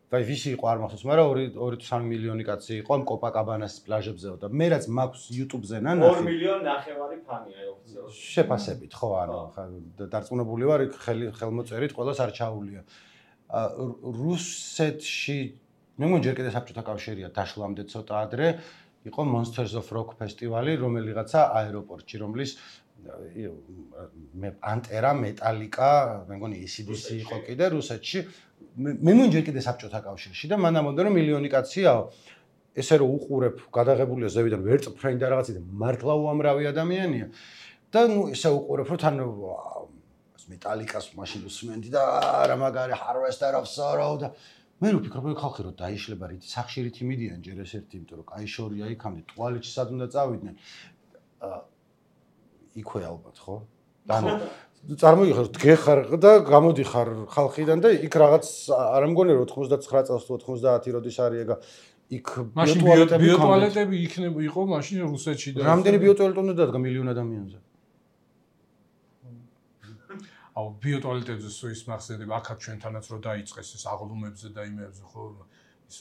და ვისი იყო არ მახსოვს მაგრამ 2-3 მილიონი კაცი იყო ამ კოპაკაბანას პლაჟებზეო და მე რაც მაქვს YouTube-ზე ნახე 2 მილიონი ნახევარი ფანია ოფიციალურად შეფასებით ხო ანუ დარწმუნებული ვარ ხელმოწერით ყველას არ ჩაულია რუსეთში მე მგონი ჯერ კიდე საბჭოთა კავშირია დაშლამდე ცოტა ადრე იყო Monsters of Rock ფესტივალი რომელიღაცა აეროპორტში რომლის ანტერა მეტალიკა მე მგონი AC/DC იყო კიდე რუსეთში მე მგონი ჯერ კიდე საბჭოთა კავშირში და მან ამბობდა რომ მილიონი კაციაო ესე რომ უყურებ გადაღებულია ზევიდან ვერტფრენი და რაღაცა და მართლა უამრავი ადამიანია და ნუ ესე უყურებ რომ თან მეტალიკას მაშინ უსმენდი და რა მაგარი Harvester of Sorrow და მე ვფიქრობ რომ ხალხი რომ დაიშლება რითი სახში რითი მიდიან ჯერ ეს-ერთი იმიტომ რომ კაი შორია იქამდე ტუალეტში სად უნდა წავიდნენ იქვე ალბათ ხო? ანუ წარმოგიხარ დგეხარ და გამოდიხარ ხალხიდან და იქ რაღაც არ მგონი რომ 99 წელს თუ 90 როდის არის ეგა იქ ბიოტუალეტები იქნება იყო მაშინ რუსეთში და რამდენი ბიოტუალეტი უნდა დადგა მილიონ ადამიანზე? აუ ბიოტუალეტებზე სუის მახსენდება აქაც ჩვენთანაც რო დაიწყეს ეს აღლუმებზე და იმებზე ხო ის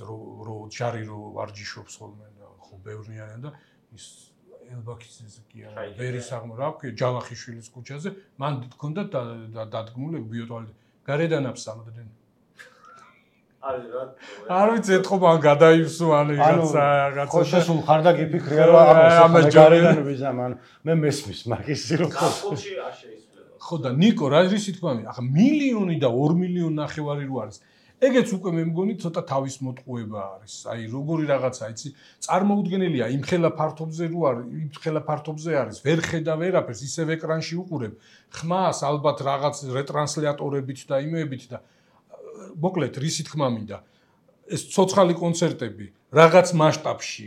რო ჯარი რო ვარჯიშობს ხოლმე და ხო ბევრნიან და ის ელბაქის კი არა ვერის აღმო რა ჯავახიშვილის ქუჩაზე მან გქონდა დადგმული ბიოტუალეტი გარედან აფსამდნენ არ ვიცი ეთქო მან გადაივსო ან რაღაცა ხო შესულ ხარ და გიფიქრია რომ ამას გარედან ვიზამ ანუ მე მესმის მაგის რომ კაფულში არ შეიძლება ხო და ნიკო რა ისი თქვა ახლა მილიონი და 2 მილიონი ნახევარი რო არის ეგეც უკვე მე მგონი ცოტა თავის მოტყუება არის. აი როგორი რაღაცა, იცი, წარმოუდგენელია იმ ხელა ფართობზე რო არის, იმ ხელა ფართობზე არის, ვერ ხედა ვერაფერს, ისევ ეკრანში უყურებ. ხმას ალბათ რაღაც რეტრანსლატორებით და იმეებით და მოკლედ რისი თქმა მინდა. ეს ცოცხალი კონცერტები რაღაც მასშტაბში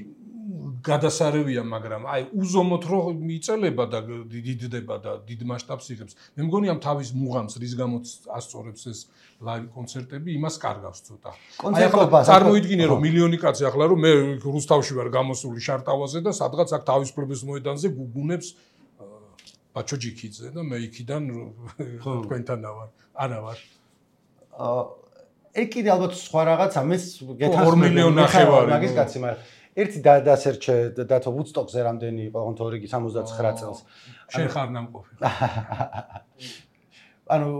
გადასარევია, მაგრამ აი უზომოდ რო მიწელება და დიდდება და დიდ მასშტაბს იღებს. მე მგონი ამ თავის მუღამს რის გამოც ასწორებს ეს ლაივ კონცერტები იმას კარგავს ცოტა. აი ახლა წარმოიდგინე რომ მილიონი კაცი ახლა რომ მე რუსთავში ვარ გამოსული შარტავაზე და სადღაც აქ თავისუფლების მოედანზე გუგუნებს ბაჩოჯიქიძე და მე იქიდან თქვენთან ვარ. არა ვარ. ეგ კიდე ალბათ სხვა რაღაცა მე გეთანხმები 2 მილიონი ნახევარი მაგის კაცი მაგრამ ერთი დასერჩე დათო ვუდსტოკზე რამდენი იყო თორე 79 წელს შენ ხარ ნამყოფი ანუ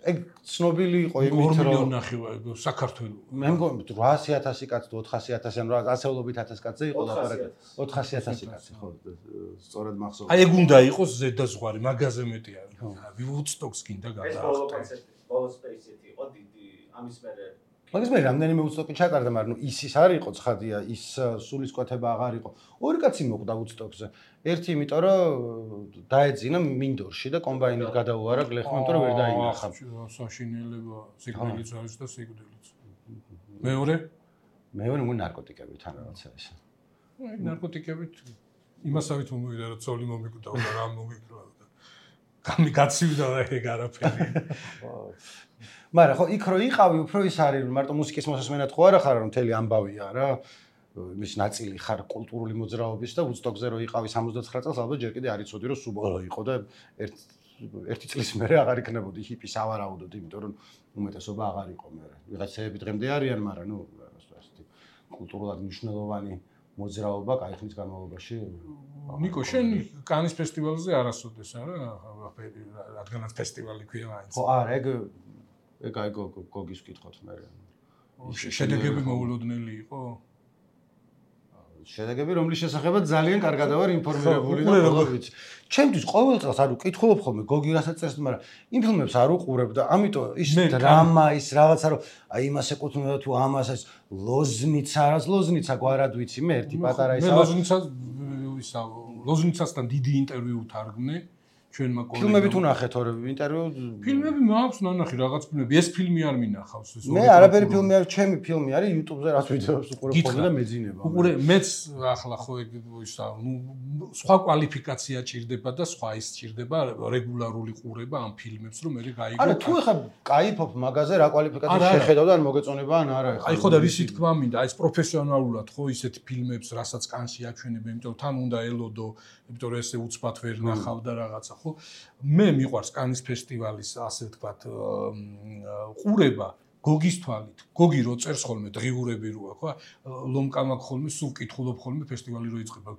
ეგ ცნობილი იყო იმით რომ 2 მილიონი ნახევარი საქართველოს მე მგონი 800,000 კაცი თუ 400,000 ან ასეულობით 1000 კაცზე იყო ლაპარაკი 400,000 კაცი ხო სწორად მახსოვს აი ეგ უნდა იყოს ზედაზღვარი მაგაზე მეტი არის ვუდსტოკს გინდა გადაახტა ეს ბოლო კონცერტი ბოლო სპეისეთი იყო დიდი ამის მერე მაგის მე რამდენიმე უცტოკი ჩატარდა, მაგრამ ის არ იყო ცხადია, ის სულისკვეთება აღარ იყო. ორი კაცი მოკვდა უცტოკზე. ერთი იმიტომ რომ დაეძინა მინდორში და კომბაინით გადაუარა გლეხმა, იმიტომ რომ ვერ დაინახა. საშინელება, სიკვდილიც არის და სიკვდილიც. მეორე მე ნარკოტიკებით ან რაღაცა ეს. აი ნარკოტიკებით იმასავით მომივიდა რომ ცოლი მომიკვდა და რა მომიკვდა. გამიგაცივდა და ეგ არაფერი. მაგრამ ხო იქ რო იყავი უფრო ის არის მარტო მუსიკის მოსასმენად ხო არა ხარ რომ მთელი ამბავია რა მის ნაწილი ხარ კულტურული მოძრაობის და უცტოკზე რო იყავი 79 წელს ალბათ ჯერ კიდე არ იცოდი რომ სუბოლო იყო და ერთი წლის მერე აღარ იქნებოდი ჰიპი სავარაუდოდ იმიტომ რომ უმეტესობა აღარ იყო მერე ვიღაცები დღემდე არიან მაგრამ ნუ ასეთი კულტურულად მნიშვნელოვანი მოძრაობა კაი ხნის განმავლობაში ნიკო შენ კანის ფესტივალზე არასოდეს არა რადგანაც ფესტივალი ქვია მაინც ხო არა ეგ აი გოგის ვკითხოთ მე შედეგები მოულოდნელი იყო შედეგები რომლის შესახებაც ძალიან კარგად ვარ ინფორმირებული და ყოველთვის ჩემთვის ყოველ წელს არ ვკითხულობ ხოლმე გოგი რასაც წერს მაგრამ იმ ფილმებს არ უყურებ და ამიტომ ის დრამა ის რაღაცა რომ აი იმას ეკუთვნება თუ ამას ეს ლოზნიცა გვარად ვიცი მე ერთი პატარა ისა ლოზნიცასთან დიდი ინტერვიუ თარგმნე ჩვენმა კოლეგამ ფილმები თუ ნახეთ ორ ინტერვიუ ფილმები მაქვს ნანახი რაღაც ფილმები ეს ფილმი არ მინახავს ეს მე არაფერი ფილმი არ ჩემი ფილმი არის YouTube-ზე რაც ვიდეოებს უყურებ ხოლმე და მეძინება უყურე მეც ახლა ხო ისა ნუ სხვა კვალიფიკაცია ჭირდება და სხვა ის ჭირდება რეგულარული ყურება ამ ფილმებს რომ მე გაიგო არა თუ ეხა кайფობ მაგაზე რა კვალიფიკაცია შეხედავ და ან მოგეწონება ან არა ეხა აი ხო და რისი თქმა მინდა აი ეს პროფესიონალურად ხო ისეთ ფილმებს რასაც კანში აჩვენებენ იმიტომ თან უნდა ელოდო იმიტომ რომ ესე უცბად ვერ ნახავ და რაღაცა ხო მე მიყვარს კანის ფესტივალის ასე ვთქვათ ყურება გოგის თვალით გოგი რო წერს ხოლმე დღიურები როა ხო ლომკა მაქვს ხოლმე სულ კითხულობ ხოლმე ფესტივალი რო იწყება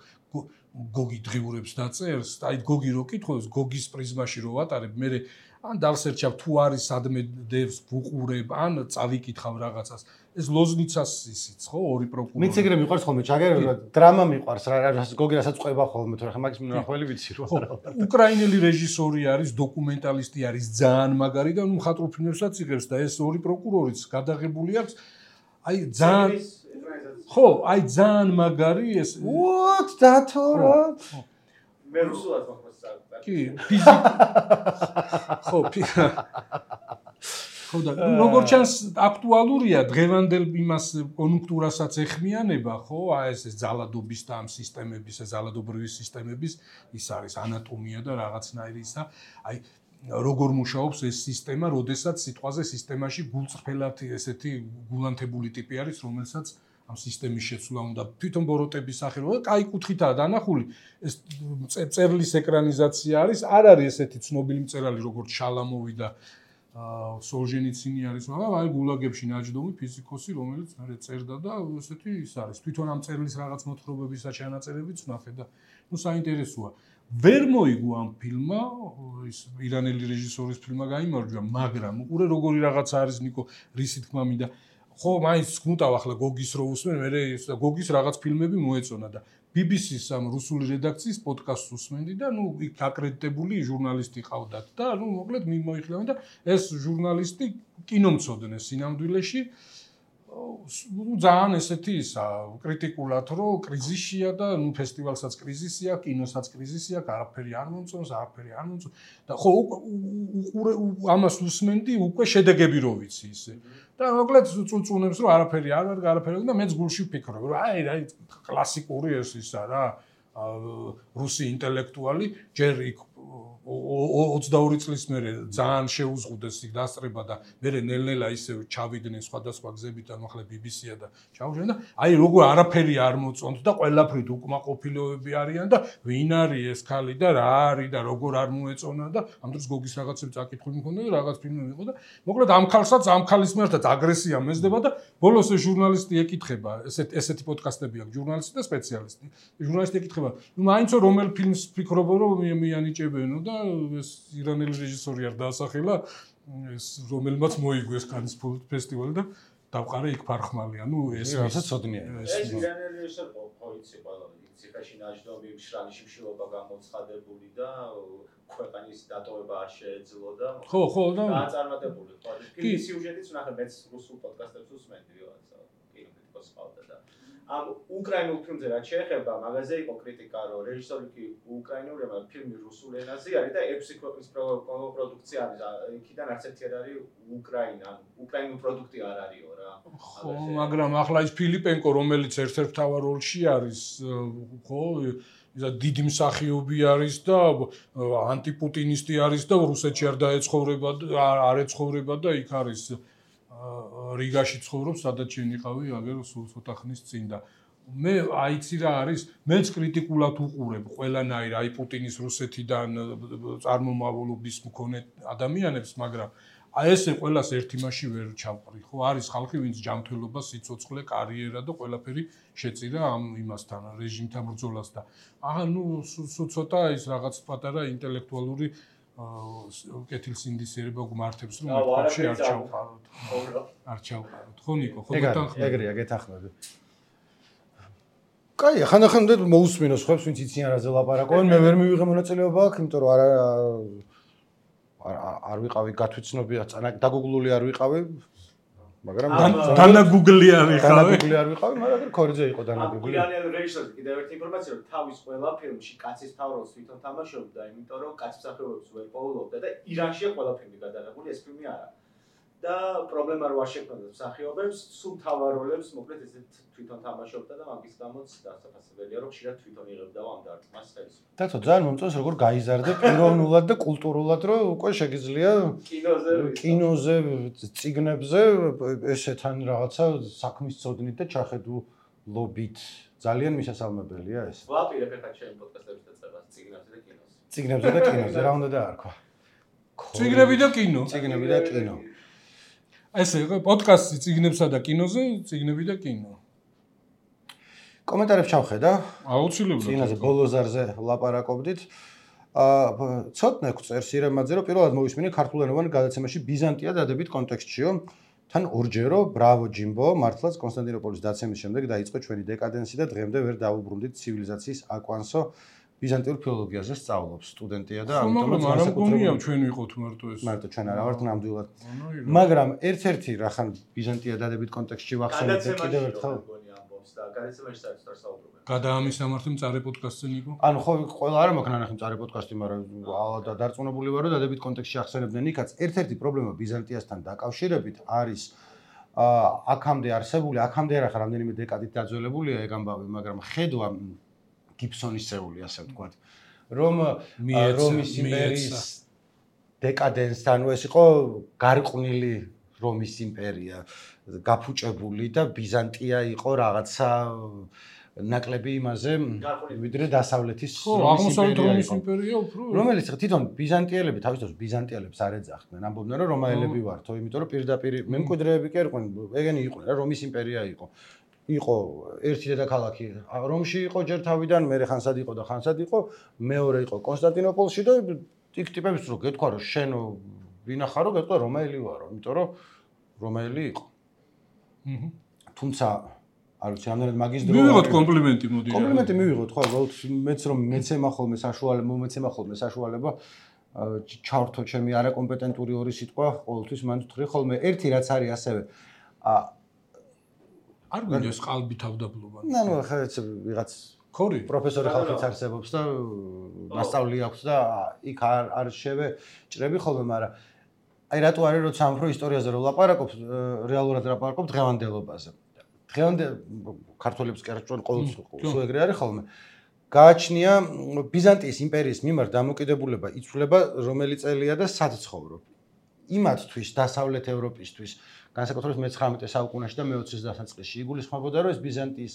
გოგი დღიურებს დაწერს აი გოგი რო კითხულობს გოგის პრიზმაში რო ვატარებ მე ან დავსერჩავ თუ არის სადმე დევს ვუყურებ ან წავიკითხავ რაღაცას ეს ლოზნიცას ისიც ხო ორი პროკურორი მეც ეგრე მიყვარს ხოლმე ჩაგერება დრამა მიყვარს რა გოგი რასაც ყვება ხოლმე თუ რა მაგის მნახველი ვიცი რო უკრაინელი რეჟისორი არის დოკუმენტალისტი არის ძალიან მაგარი და ნუ მხატვრულ ფილმებსაც იღებს და ეს ორი პროკურორიც გადაღებული აქვს აი ძალიან ხო აი ძალიან მაგარი ეს what დათო რა მე რუსულად მაქვს კი ფიზიკა ხო ხო და როგორც ჩანს აქტუალურია დღევანდელ იმას კონjunქტურასაც ეხმიანება ხო აი ეს ძალადობის და ამ სისტემების ეს ძალადობრივი სისტემების ის არის ანატომია და რაღაცნაირი ისა აი როგორ მუშაობს ეს სისტემა როდესაც სიტყვაზე სისტემაში გულწრფელად ესეთი გულანთებული ტიპი არის რომელსაც ამ სისტემის შეცვლა უნდა თვითონ ბოროტების სახელო და კაი კუთხითაა დანახული ეს წერლის ეკრანიზაცია არის არ არის ესეთი ცნობილი მწერალი როგორც შალამოვი და სოლჟენიცინი არის მაგრამ აი გულაგებში ნაჯდომი ფიზიკოსი რომელიც მე წერდა და ესეთი ის არის თვითონ ამ წერლის რაღაც მოთხრობებისა ჩანაწერებიც ნახე და ნუ საინტერესოა ვერ მოიგო ამ ფილმმა ის ირანელი რეჟისორის ფილმმა გაიმარჯვა მაგრამ უყურე როგორი რაღაც არის ნიკო რისი თქმა მინდა ხო მაინც გუნტავ ახლა გოგის რო უსმენ მე გოგის რაღაც ფილმები მოეწონა და BBC-ს ამ რუსული რედაქციის პოდკასტს უსმენდი და ნუ იქ აკრედიტებული ჟურნალისტი ყავდათ და ნუ მოკლედ მიმოიხილავენ და ეს ჟურნალისტი კინომცოდნე სინამდვილეში ნუ ძალიან ესეთი ისა კრიტიკულად რომ კრიზისია და ნუ ფესტივალსაც კრიზისია კინოსაც კრიზისია არაფერი არ მომწონს და ხო ამას უსმენდი უკვე შედეგები რო ვიცი ისე და მოკლედ წუწუნებს რომ არაფერი არ არის არაფერი და მეც გულში ვფიქრობ რომ აი კლასიკური ეს ისა რა რუსი ინტელექტუალი ჯერ იქ 22 წლის მერე ძალიან შეუზღუდეს იქ დასწრება და მერე ნელ-ნელა ისე ჩავიდნენ სხვადასხვა გზებით და ახლა BBC-ა და ჩავშენ და აი როგორ არაფერი არ მოწონთ და ყველაფრით უკმაყოფილოები არიან და ვინ არის ეს ქალი და რა არის და როგორ არ მოეწონა და ამ დროს გოგის რაღაცები წაკითხული მქონდა და რაღაც ფილმები იყო და მოკლედ ამ ქალსაც ამ ქალის მერტაც აგრესია მეზდება და ბოლოს ეს ჟურნალისტი ეკითხება ესეთი პოდკასტები აქვს ჟურნალისტი და სპეციალისტი ჟურნალისტი ეკითხება ნუ მაინცო რომელ ფილმს ფიქრობო რომ მიანიჭებენო და ეს ირანელი რეჟისორი არ დაასახელა ეს რომელმაც მოიგო ეს კანის ფესტივალი და დავყარე იქ ფარხმალი ანუ ეს რასაც ცოდნია ეს ირანელი რეჟისორი ხო იცი ყველა იცი საფრთხეში ნაჯდომი მშრალი შიმშილობა გამოცხადებული და ქვეყნის დატოვება არ შეეძლო და ხო და დააწარმოებული ხო ფილმის სიუჟეტიც ნახე მეც რუსულ პოდკასტებს ვუსმენდი რაღაცა კინოკრიტიკოსს ყავდა და ამ უკრაინულ ფილმზე რაც შეეხება მაგაზე იყო კრიტიკა რომ რეჟისორი კი უკრაინული მაგრამ ფილმი რუსულ ენაზე არის და 6 ქვეყნის პროდუქცია არის იქიდან არც ერთი არ არის უკრაინა უკრაინული პროდუქტი არ არისო რა ხო მაგრამ ახლა ის ფილიპენკო რომელიც ერთ-ერთ მთავარ როლში არის ხო ისა დიდი მსახიობი არის და ანტიპუტინისტი არის და რუსეთში არ ეცხოვრება და იქ არის რიგაში ცხოვრობს, სადაც შენიყავი აგერ სულ ცოტა ხნის წინ და მე აიცი რა არის, მეც კრიტიკულად უყურებ ყველანაირ აი პუტინის რუსეთიდან წარმომავლობის მქონე ადამიანებს, მაგრამ აი ესე ყველას ერთ იმაში ვერ ჩავყრი, ხო, არის ხალხი, ვინც ჯანმრთელობა, სიცოცხლე, კარიერა და ყველაფერი შეწირა ამ იმასთან, რეჟიმთან ბრძოლას და ახლა ნუ ცოტა ის რაღაც პატარა ინტელექტუალური კეთილსინდისიერება გმართებს რომ ვაფშე არ ჩავყაროთ. არ ჩავყაროთ. ხო ნიკო, ხო გეთანხმები. ეგრეა, გეთანხმები. კაი, ხანდახან მოусმინოს ხებს ვინც იციან რაზე ლაპარაკობენ, მე ვერ მივიღე მონაწილეობა აქ, იმიტომ რომ არ ვიყავი გათვიცნობია, დაგუგლული არ ვიყავი, მაგრამ დანაგუგლი არ ვიყავი, მაგრამ ქორიძე იყო დანაგუგლი. უკრაინელი რეჟისორი კიდევ ერთი ინფორმაცია რომ თავის ყველა ფილმში კაცის თავროლს თვითონ თამაშობდა, იმიტომ რომ კაცის მსახიობებს ვერ პოულობდა და ირანშია ყველა ფილმი გადაღებული, ეს ფილმი არა. და პრობლემა რო არ შექმნათ მსახიობებს, სულ თავარ როლებს მოკლედ ესეთ თვითონ თამაშობდა და მაგის გამოც დასაფასებელია რომ ხშირად თვითონ იღებდა ამ დარტყმას ხელს. დათო ძალიან მომწონს როგორ გაიზარდე პიროვნულად და კულტურულად რომ უკვე შეგიძლია კინოზე, წიგნებზე ესეთან რაღაცა საქმის წოდნით და ჩახედულობით. ძალიან მისასალმებელია ეს. ვაპირებ ახლა ჩემ პოდკასტებში დაწერას წიგნებზე და კინოზე. წიგნებზე და კინოზე რა უნდა დაარქვა? წიგნები და კინო. წიგნები და კინო. ესე იყო პოდკასტი წიგნებსა და კინოზე, წიგნები და კინო. კომენტარებს ჩავხედა. აუცილებლად. წინაზე ბოლოზარზე ლაპარაკობდით. ცოტნე წერს ირემაძე რომ პირველად მოვისმინე ქართულენოვან გადაცემაში ბიზანტია დადებით კონტექსტშიო. თან ორჯერო ბრავო ჯიმბო მართლაც კონსტანტინოპოლის დაცემის შემდეგ დაიწყო ჩვენი დეკადენსი და დღემდე ვერ დაუბრუნდით ცივილიზაციის აკვანსო ბიზანტიურ ფილოლოგიაზე სწავლობს სტუდენტია და ამიტომ არ მგონია ჩვენ ვიყოთ მარტო ეს. მარტო ჩვენ არა ვართ ნამდვილად. მაგრამ ერთ-ერთი რახან ბიზანტია დადებით კონტექსტში ვახსენეთ და კიდევ ერთხელ და გადაცემაში საერთოდ საუბრობენ. გადაამისამართი მწარე პოდკასტზე ნიკო? ანუ ხო ყველა არა მაქვს ნანახი მწარე პოდკასტი, მაგრამ და დარწმუნებული ვარ რომ დადებით კონტექსტში ახსენებდნენ იქაც. ერთ-ერთი პრობლემა ბიზანტიასთან დაკავშირებით არის აქამდე არსებული, აქამდე არა ხარ რამდენიმე დეკადით დაძველებულია ეგ ამბავი, მაგრამ ხედვა გიბსონისეული ასე ვთქვათ, რომ რომის იმპერიის დეკადენსთან, ანუ ეს იყო გარყვნილი რომის იმპერია, გაფუჭებული და ბიზანტია იყო რაღაცა ნაკლები იმაზე, ვიდრე დასავლეთის რომის იმპერია უფრო რომელიც თვითონ ბიზანტიელები თავის დროს ბიზანტიელებს არ ეძახდნენ, ამბობდნენ რომ რომაელები ვართო, იმიტომ რომ პირდაპირ მემკვიდრეები კი არიყვნენ, ეგენი იყვნენ რა, რომის იმპერია იყო. იყო ერთი დედაქალაქი რომში იყო ჯერ თავიდან, მერე ხანსად იყო და ხანსად იყო, მეორე იყო კონსტანტინოპოლში და იქ ტიპებს რო გეთქვა რომ შენ ვინახარო, გეტყვა რომაელი ვარო, იმიტომ რომ რომაელი იყო. თუმცა არ ვიცი, რამდენად მაგის დრო მივიღოთ კომპლიმენტი მოდი. კომპლიმენტი მივიღოთ, ხო, მეც რომ მეცემა ხოლმე საშუალება ჩავრთო ჩემი არაკომპეტენტური ორი სიტყვა, ყოველთვის მან ვთქვი ხოლმე ერთი რაც არის ასევე არ გვინდოს ყალბი თავდაბლობა. ნუ ხა ვიღაც ხორი პროფესორი ხალხიც არსებობს და მასწავლი აქვს და იქ არ შევეჭრები ხოლმე, მაგრამ აი რატო არის როცა ამ პრო ისტორიაზე რო ლაპარაკობ, რეალურად ლაპარაკობ დღევანდელობაზე. ქართველებს კი არ ჭვენ ყოველთვის სულ ეგრე არის ხოლმე. გააჩნია ბიზანტიის იმპერიის მიმართ დამოკიდებულება იცვლება რომელი წელია და სად ცხოვრობ. იმათთვის დასავლეთ ევროპისთვის განსაკუთრებით მე-19 საუკუნეში და მე-20-ის დასაწყისში იგულისხმებოდა რომ ეს ბიზანტიის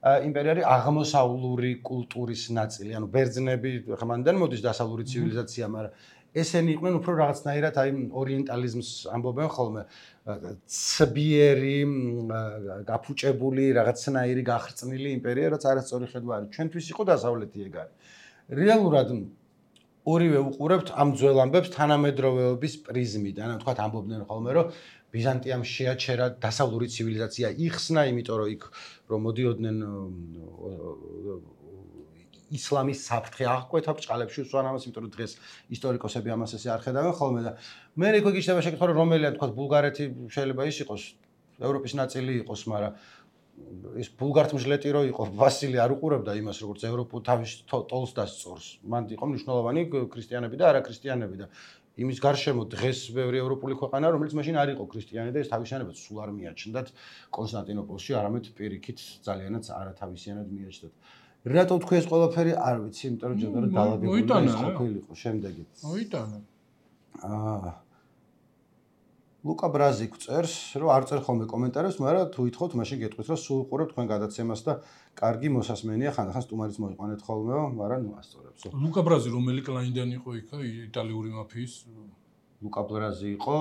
იმპერია არის აღმოსავლური კულტურის ნაწილი, ანუ ბერძნები ხა მანდან მოდის დასავლური ცივილიზაცია, მაგრამ ესენი იყვნენ უფრო რაღაცნაირად აი ორიენტალიზმს ამბობენ ხოლმე, ცბიერი, გაფუჭებული, რაღაცნაირი გახრწნილი იმპერია, რაც არასწორი ხედვა არის. ჩვენთვის იყო დასავლეთი ეგ არის. რეალურად ორივე უყურებთ ამ ძველ ამბებს თანამედროვეობის პრიზმიდან. თქვათ ამბობდნენ ხოლმე, რომ ბიზანტიამ შეაჩერა დასავლური ცივილიზაცია, იხსნა, იმიტომ რომ იქ რომ მოდიოდნენ ისლამის საფრთხე აღკვეთა ბჭყალებში უსვან ამას, იმიტომ რომ დღეს ისტორიკოსები ამას ესე არ ხედავენ ხოლმე და მე იქ გიჩნდება შეკითხვა რომ რომელია თქვათ ბულგარეთი შეიძლება ის იყოს ევროპის ნაწილი იყოს, მაგრამ ის ბულგართმჟლეტი რო იყო, ვასილი არ უყურებდა იმას, როგორც ევროპულ თავის ტოლს დასწორს. მან იყო მნიშვნელოვანი ქრისტიანები და არაქრისტიანები და იმის გარშემო დღეს ბევრი ევროპული ქვეყანა, რომელიც მაშინ არ იყო ქრისტიანი და ეს თავისიანებაც სულ არ მიაჩნდათ კონსტანტინოპოლში, არამედ პირიქით ძალიანაც არათავისიანად მიაჩნდათ. რატო თქვი ეს ყველაფერი არ ვიცი, იმიტომ რომ ჯერ დაალაგებული ის ყოფილიყო შემდეგი. მოიტანა. ლუკა ბრაზიკ წერს, რომ არ წერ ხოლმე კომენტარებს, მაგრამ თუ ითხოვთ, მაშინ გეტყვით, რომ სულ უყურებთ თქვენ გადაცემას და კარგი მოსასმენია, ხანდახან სტუმარიც მოიყვანეთ ხოლმეო, მაგრამ ნუ ასწორებს. ლუკა ბრაზი რომელი კლაინიდან იყო იქა იტალიური მაფიის? ლუკა ბრაზი იყო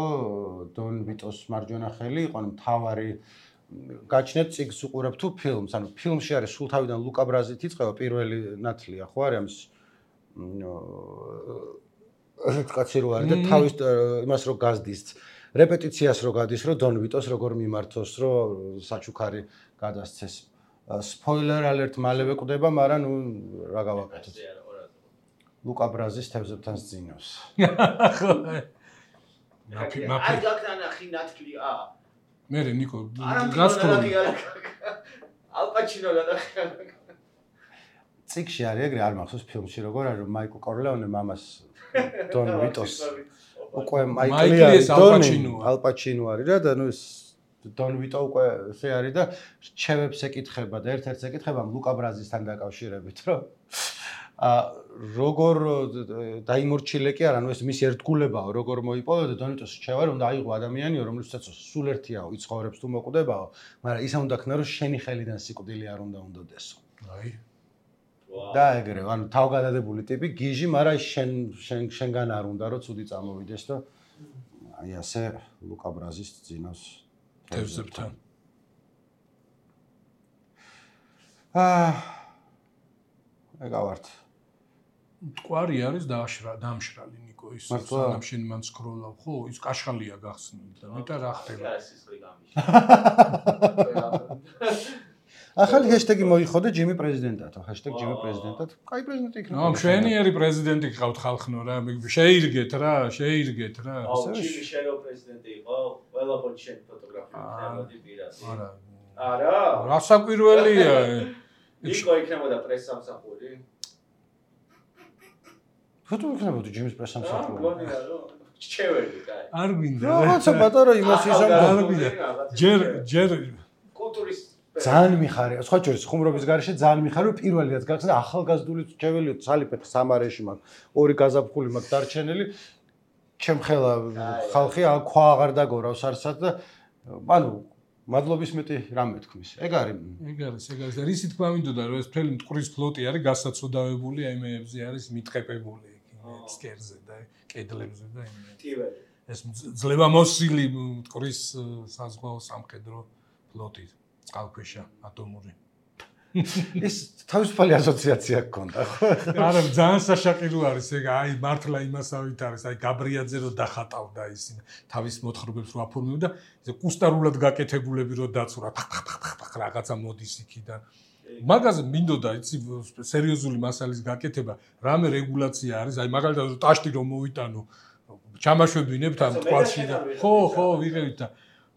დონ ვიტოს მარჯვენა ხელი, იყო მთავარი გაჩნეთ წიგნს უყურებ თუ ფილმს, ანუ ფილმში არის სულ თავიდან ლუკა ბრაზით იწყება პირველი ნათლია, ხო არის ამის კაცი რო არის და თავის იმას რო გაზდის რეპეტიციას რო გადის, რომ დონ ვიტოს როგორ მიმართოს, რომ საჩუქარი გადასცეს. სპოილერ ალერტ მალევე კვდება, მაგრამ ნუ რა გავაკეთოთ. ლუკა ბრაზის თევზებთან სძინავს. არ გაგდანახი ნათლი მე ნიკო გასწრული. ალპაჩინო გადახია. წიგნში არის ეგრე არ მახსოვს ფილმში როგორ არის რომ მაიკლ კორლეონე მამას დონ ვიტოს უკვე მაიკლი ალპაჩინო არის რა და ნუ ეს დონ ვიტო უკვე ესე არის და რჩევებს ეკითხება და ერთ-ერთს ეკითხება ლუკა ბრაზისთან დაკავშირებით რომ როგორ დაიმორჩილე კი არა ნუ ეს მისი ერთგულებაა როგორ მოიპოვა და დონ ვიტოს რჩევა რომ დაიღო ადამიანიო რომელსაც სულ ერთიაო იცხოვრებს თუ მოკვდებაო მაგრამ ისა უნდა ქნა რომ შენი ხელიდან სიკვდილი არ უნდა უნდოდესო აი და ეგრე, ანუ თავგადადებული ტიპი გიჟი, მაგრამ შენგან არ უნდა რომ ცუდი წამოვიდეს და აი ასე ლუკა ბრაზის ძინავს თევზებთან. ეგავართ. მტკვარი არის დამშრალი ნიკო ის სანამ შენ მან სკროლავ ხო ის კაშხალია გახსნილი და მეტა რა ხდება. ახალი ჰეშტეგი მოიხოდე ჯიმი პრეზიდენტათო, ჰეშტეგი ჯიმი პრეზიდენტად. კაი პრეზიდენტი იქნება. მშვენიერი პრეზიდენტი გყავთ ხალხნო რა, შეირგეთ რა. ჯიმი შენო პრეზიდენტი იყო, ყველა პონჩი შენ ფოტოგრაფია ხდებოდი პირას. არა. რასაკვირველია. იქო იქნებოდა პრესსამსახური. ფოტო იქნებოდა ჯიმის პრესსამსახური. გონია რომ ჩეველი კაი. არ გვინდა. რაღაცა პატარა იმას ისამ არ გვინდა. ჯერ კულტურის ძალიან მიხარია, სხვა შორის ხუმრობის გარეშე ძალიან მიხარია, პირველი რაც გახსნა ახალგაზრდული ჩეველიო ცალიფეხ სამარეში მაქვს, ორი გაზაფხული მაქვს დარჩენილი. ჩემხელა ხალხი ქვა აღარ დაგორავს არსად და ანუ მადლობის მეტი რამე თქმის. ეგ არის და რისი თქვა მინდოდა რომ ეს მთელი მტკვრის ფლოტი არის გასაცოდავებული აი მეებზე არის მიტყეპებული სკერზე და კედლებზე და ტივერი. ეს ძლევამოსილი მტკვრის საზღვაო სამხედრო ფლოტი წყალქვეშა ატომური. ეს თავისუფალი ასოციაცია გქონდა ხო? არა, ძალიან საშაყირო არის ეგ, აი მართლა იმასავით არის, აი გაბრიაძე რო დახატავდა ის თავის მოთხრობებს რო აფორმებდა, ეს კუსტარულად გაკეთებულები რო დაცურა, რაღაცა მოდის იქიდან. მაგაზე მინდოდა, იცი, სერიოზული მასალის გაკეთება, რამე რეგულაცია არის, აი მაგალითად ტაშტი რომ მოვიტანო, ჩამაშვებინებთ ამ თვალში და ხო, ვიღებთ და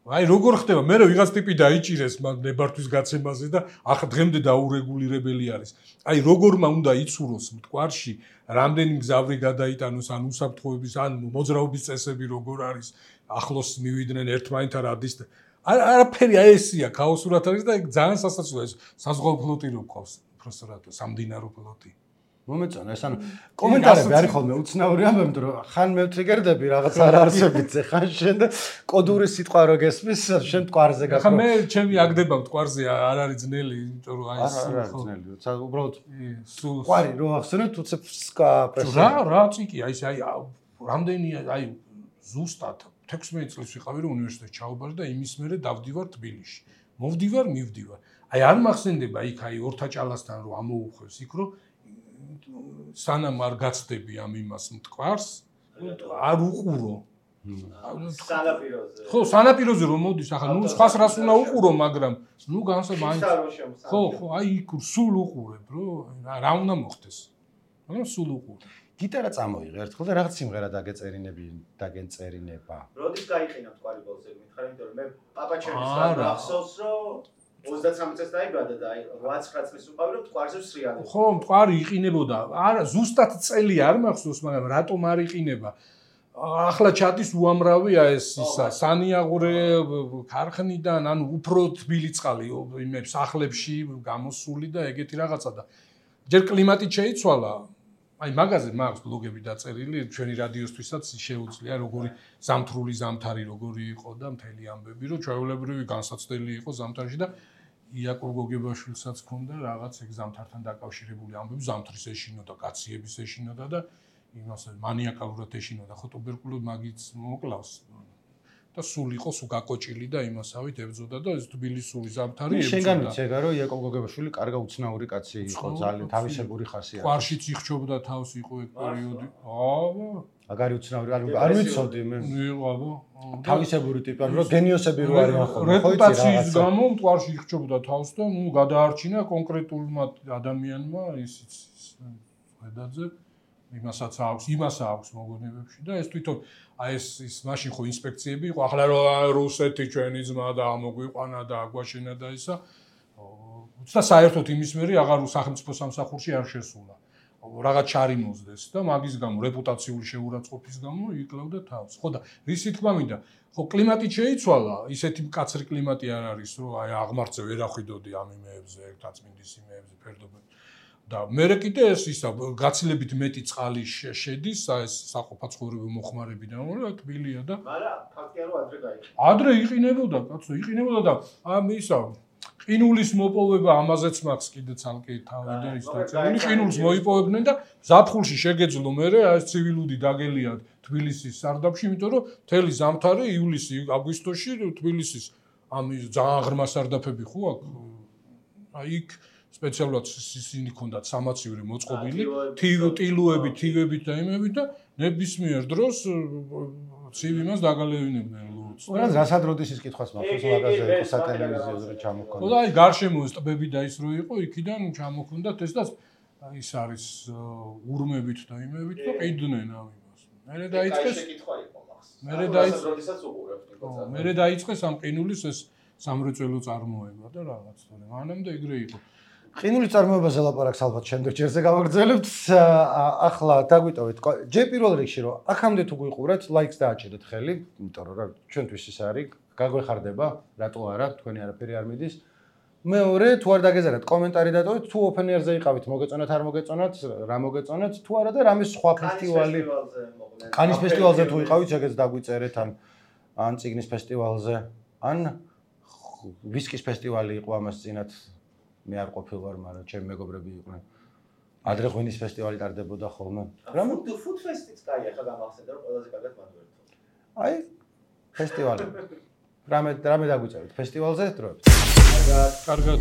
აი როგორ ხდება მე რო ვიღაც ტიპი დაიჭირეს მაგ ნებართვის გაცემაზე და ახლა დღემდე დაურეგულირებელი არის აი როგორმა უნდა იცუროს მტკვარში რამდენი მგზავრი გადაიტანოს ან უსაფრთხოების ან მოძრაობის წესები როგორ არის ახლოს მივიდნენ ერთმანეთთან ადის და არაფერი აი ესია ქაოსურად არის და ძალიან სასაცილოა ეს საზღვაო ფლოტი რო ყავს უბრალოდ სამდინარო ფლოტი მომეწონა ეს ანუ კომენტარები არის ხოლმე უცნაური ამბები რომ ხან მევტრიგერდები რაღაც არ არსებიც ხან შენ და კოდური სიტყვა რო გესმის შენ მტკვარზე გაკრო. ხა მე ჩემი აგდება მტკვარზე არ არის ძნელი იმიტომ რომ აი ეს ხო ძნელი უბრალოდ მტკვარი რო ახსენე თუცე ფსკა პრესა რა წიკი აი ეს აი რამდენი აი ზუსტად 16 წელს ვიყავი რომ უნივერსიტეტში ჩაუბარი და იმის მერე დავდივარ თბილისში მივდივარ აი არ მახსენდება იქ აი ორთაჭალასთან რომ ამოუხვევს იქ რომ სანამ არ გაცდები ამ იმას მტკვარს, არ უყურო. სანაპიროზე. ხო, სანაპიროზე რომ მოდის, ახლა ნუ სხვას რას უნდა უყურო, მაგრამ ნუ განსა მაინც. ხო, აი იქ სულ უყურებ, რა უნდა მოხდეს. მაგრამ სულ უყურებ. გიტარა წამოიღე ერთხელ და რაღაც სიმღერა დაგენწერინება. როდის გაიყინა მტკვარი ბოლოს ეგ მითხარი, იმიტომ რომ მე პაპაჩემისგან გახსოვს, რომ 33 წელს დაიბადა და 8-9 წლის უყავი რომ მტკვარზე სრიალები. ხო, მტკვარი იყინებოდა. არა, ზუსტად წელი არ მახსოვს, მაგრამ რატომ არ იყინება? ახლა ჩადის უამრავია ეს ისა სანიაღურე ქარხნიდან, ანუ უფრო თბილი წყალი იმებს სახლებში გამოსული და ეგეთი რაღაცა და ჯერ კლიმატი შეიცვალა. აი მაგაზე მაქვს ბლოგები დაწერილი, ჩვენი რადიოსთვისაც შეუძლია როგორი ზამთრული ზამთარი როგორი იყო და მთელი ამბები, რომ ჩვეულებრივი განსაცდელი იყო ზამთარში და იაკობ გოგებაშვილსაც ჰქონდა რაღაც ეგ ზამთართან დაკავშირებული ამბები, ზამთრის ეშინოდა, კაციების ეშინოდა და იმას მანიაკალურად ეშინოდა, ხო ტუბერკულოზი მაგიც მოკლავს და სულ იყო სულ გაკოჭილი და იმასავით ებძოდა და ეს თბილისური ზამთარი ებძოდა. შენგან ვიცეგა რომ იაკობ გოგებაშვილი კარგი უცნაური კაცი იყო, ძალიან თავისებური ხასიათი. ყვარშიც იხჩობდა თავს იყო ეგ პერიოდი. აბა, აგარი უცნაური არ ვიცოდი მე. იყო აბა. თავისებური ტიპი, რომ გენიოსები რო არიან ხოლმე, ხო იცი რეპუტაციის გამო მტკვარში იხჩობდა თავს და ნუ გადაარჩინა კონკრეტულმა ადამიანმა ისიც ხედაძე იმასაც აქვს მოგონებებში და ეს თვითონ აი ეს მაშინ ხო ინსპექციები იყო ახლა რუსეთი ჩვენი ძმა და მოგვიყვანა და აგვაშენა და ისა და საერთოდ იმის მერე აღარ სახელმწიფო სამსახურში არ შესულა რაღაც ჩარიმოზდეს და მაგის გამო რეპუტაციული შეურაცხყოფის გამო იკლავდა თავს ხო და რისი თქმა მინდა ხო კლიმატი შეიცვალა ისეთი მკაცრი კლიმატი არ არის რომ აი აღმართზე ვერ ახვიდოდი ამ იმეებზე ერთაწმინდის იმეებზე ფერდობები და მე კიდე ეს ისა გაცილებით მეტი წყალი შედის ეს საყოფაცხოვრებო მოხმარებიდან რა თბილია და მაგრამ ფაქტია რომ ადრე გაიყინა ადრე იყინებოდა კაცო იყინებოდა და ამ ისა ყინულის მოპოვება ამაზეც მაქვს კიდე ცალკე თავი და ის დაწერილი ყინულს მოიპოვებდნენ და ზაფხულში შეგეძლო მერე ეს ცივილუდი დაგელიათ თბილისის სარდაფში იმიტომ რომ მთელი ზამთარი ივლისი აგვისტოში თბილისის ამ ძალიან ღრმა სარდაფები ხო აქ აი იქ სპეციალურად ისინი ქონდათ სამაცივრი მოწყობილი, ტილუები, თივებით და იმებით და ნებისმიერ დროს ცივ იმას დაგალევინებდნენ ლურჯს. რა რასაც როდის ის კითხვას მაქვს, მაგაზე იყო სატელევიზიოზე რომ ჩამოქონდა. ხო და აი გარშემო ეს ტბები და ის რო იყო, იქიდან ჩამოქონდათ ეს და ის არის ურმებით და იმებით და ყიდნენ ამ იმას. მერე დაიწყეს კითხვა იყო მახს. მერე დაიწყეს როდესაც უყურებთ იყო. მერე დაიწყეს ამ ყინულის ეს სამრეწველო წარმოება და რაღაც თორე მანამდე ეგრე იყო. ყინულის წარმოებაზე ლაპარაკს ალბათ შემდეგ ჯერზე გავაგრძელებთ. ახლა დაგვიტოვეთ. ჯერ პირველ რიგში რომ აქამდე თუ გვიყურეთ, ლაიქს დააჭერეთ ხელი, იმიტომ რომ რა ჩვენთვის ის არის, გაგვეხარდება, რატო არა, თქვენი არაფერი არ მიდის. მეორე, თუ არ დაგეზარათ, კომენტარი დატოვეთ, თუ ოფენერზე იყავით, მოგეწონათ, არ მოგეწონათ, რა მოგეწონათ, თუ არა და რამე სხვა ფესტივალი. კანის ფესტივალზე თუ იყავით, ეგეც დაგვიწერეთ ან წიგნის ფესტივალზე, ან ვისკის ფესტივალი იყო ამას წინათ. მე არ ყოფილვარ, მაგრამ ჩემი მეგობრები იყვნენ. ადრე ღვინის ფესტივალი ტარდებოდა ხოლმე. რა ფუდ ფესტიც კაია, ხა გამახსენდა რომ ყველაზე კარგად მანდვერთო. აი, ფესტივალი. რამე დაგვიწერეთ ფესტივალზე დროებით. კარგად.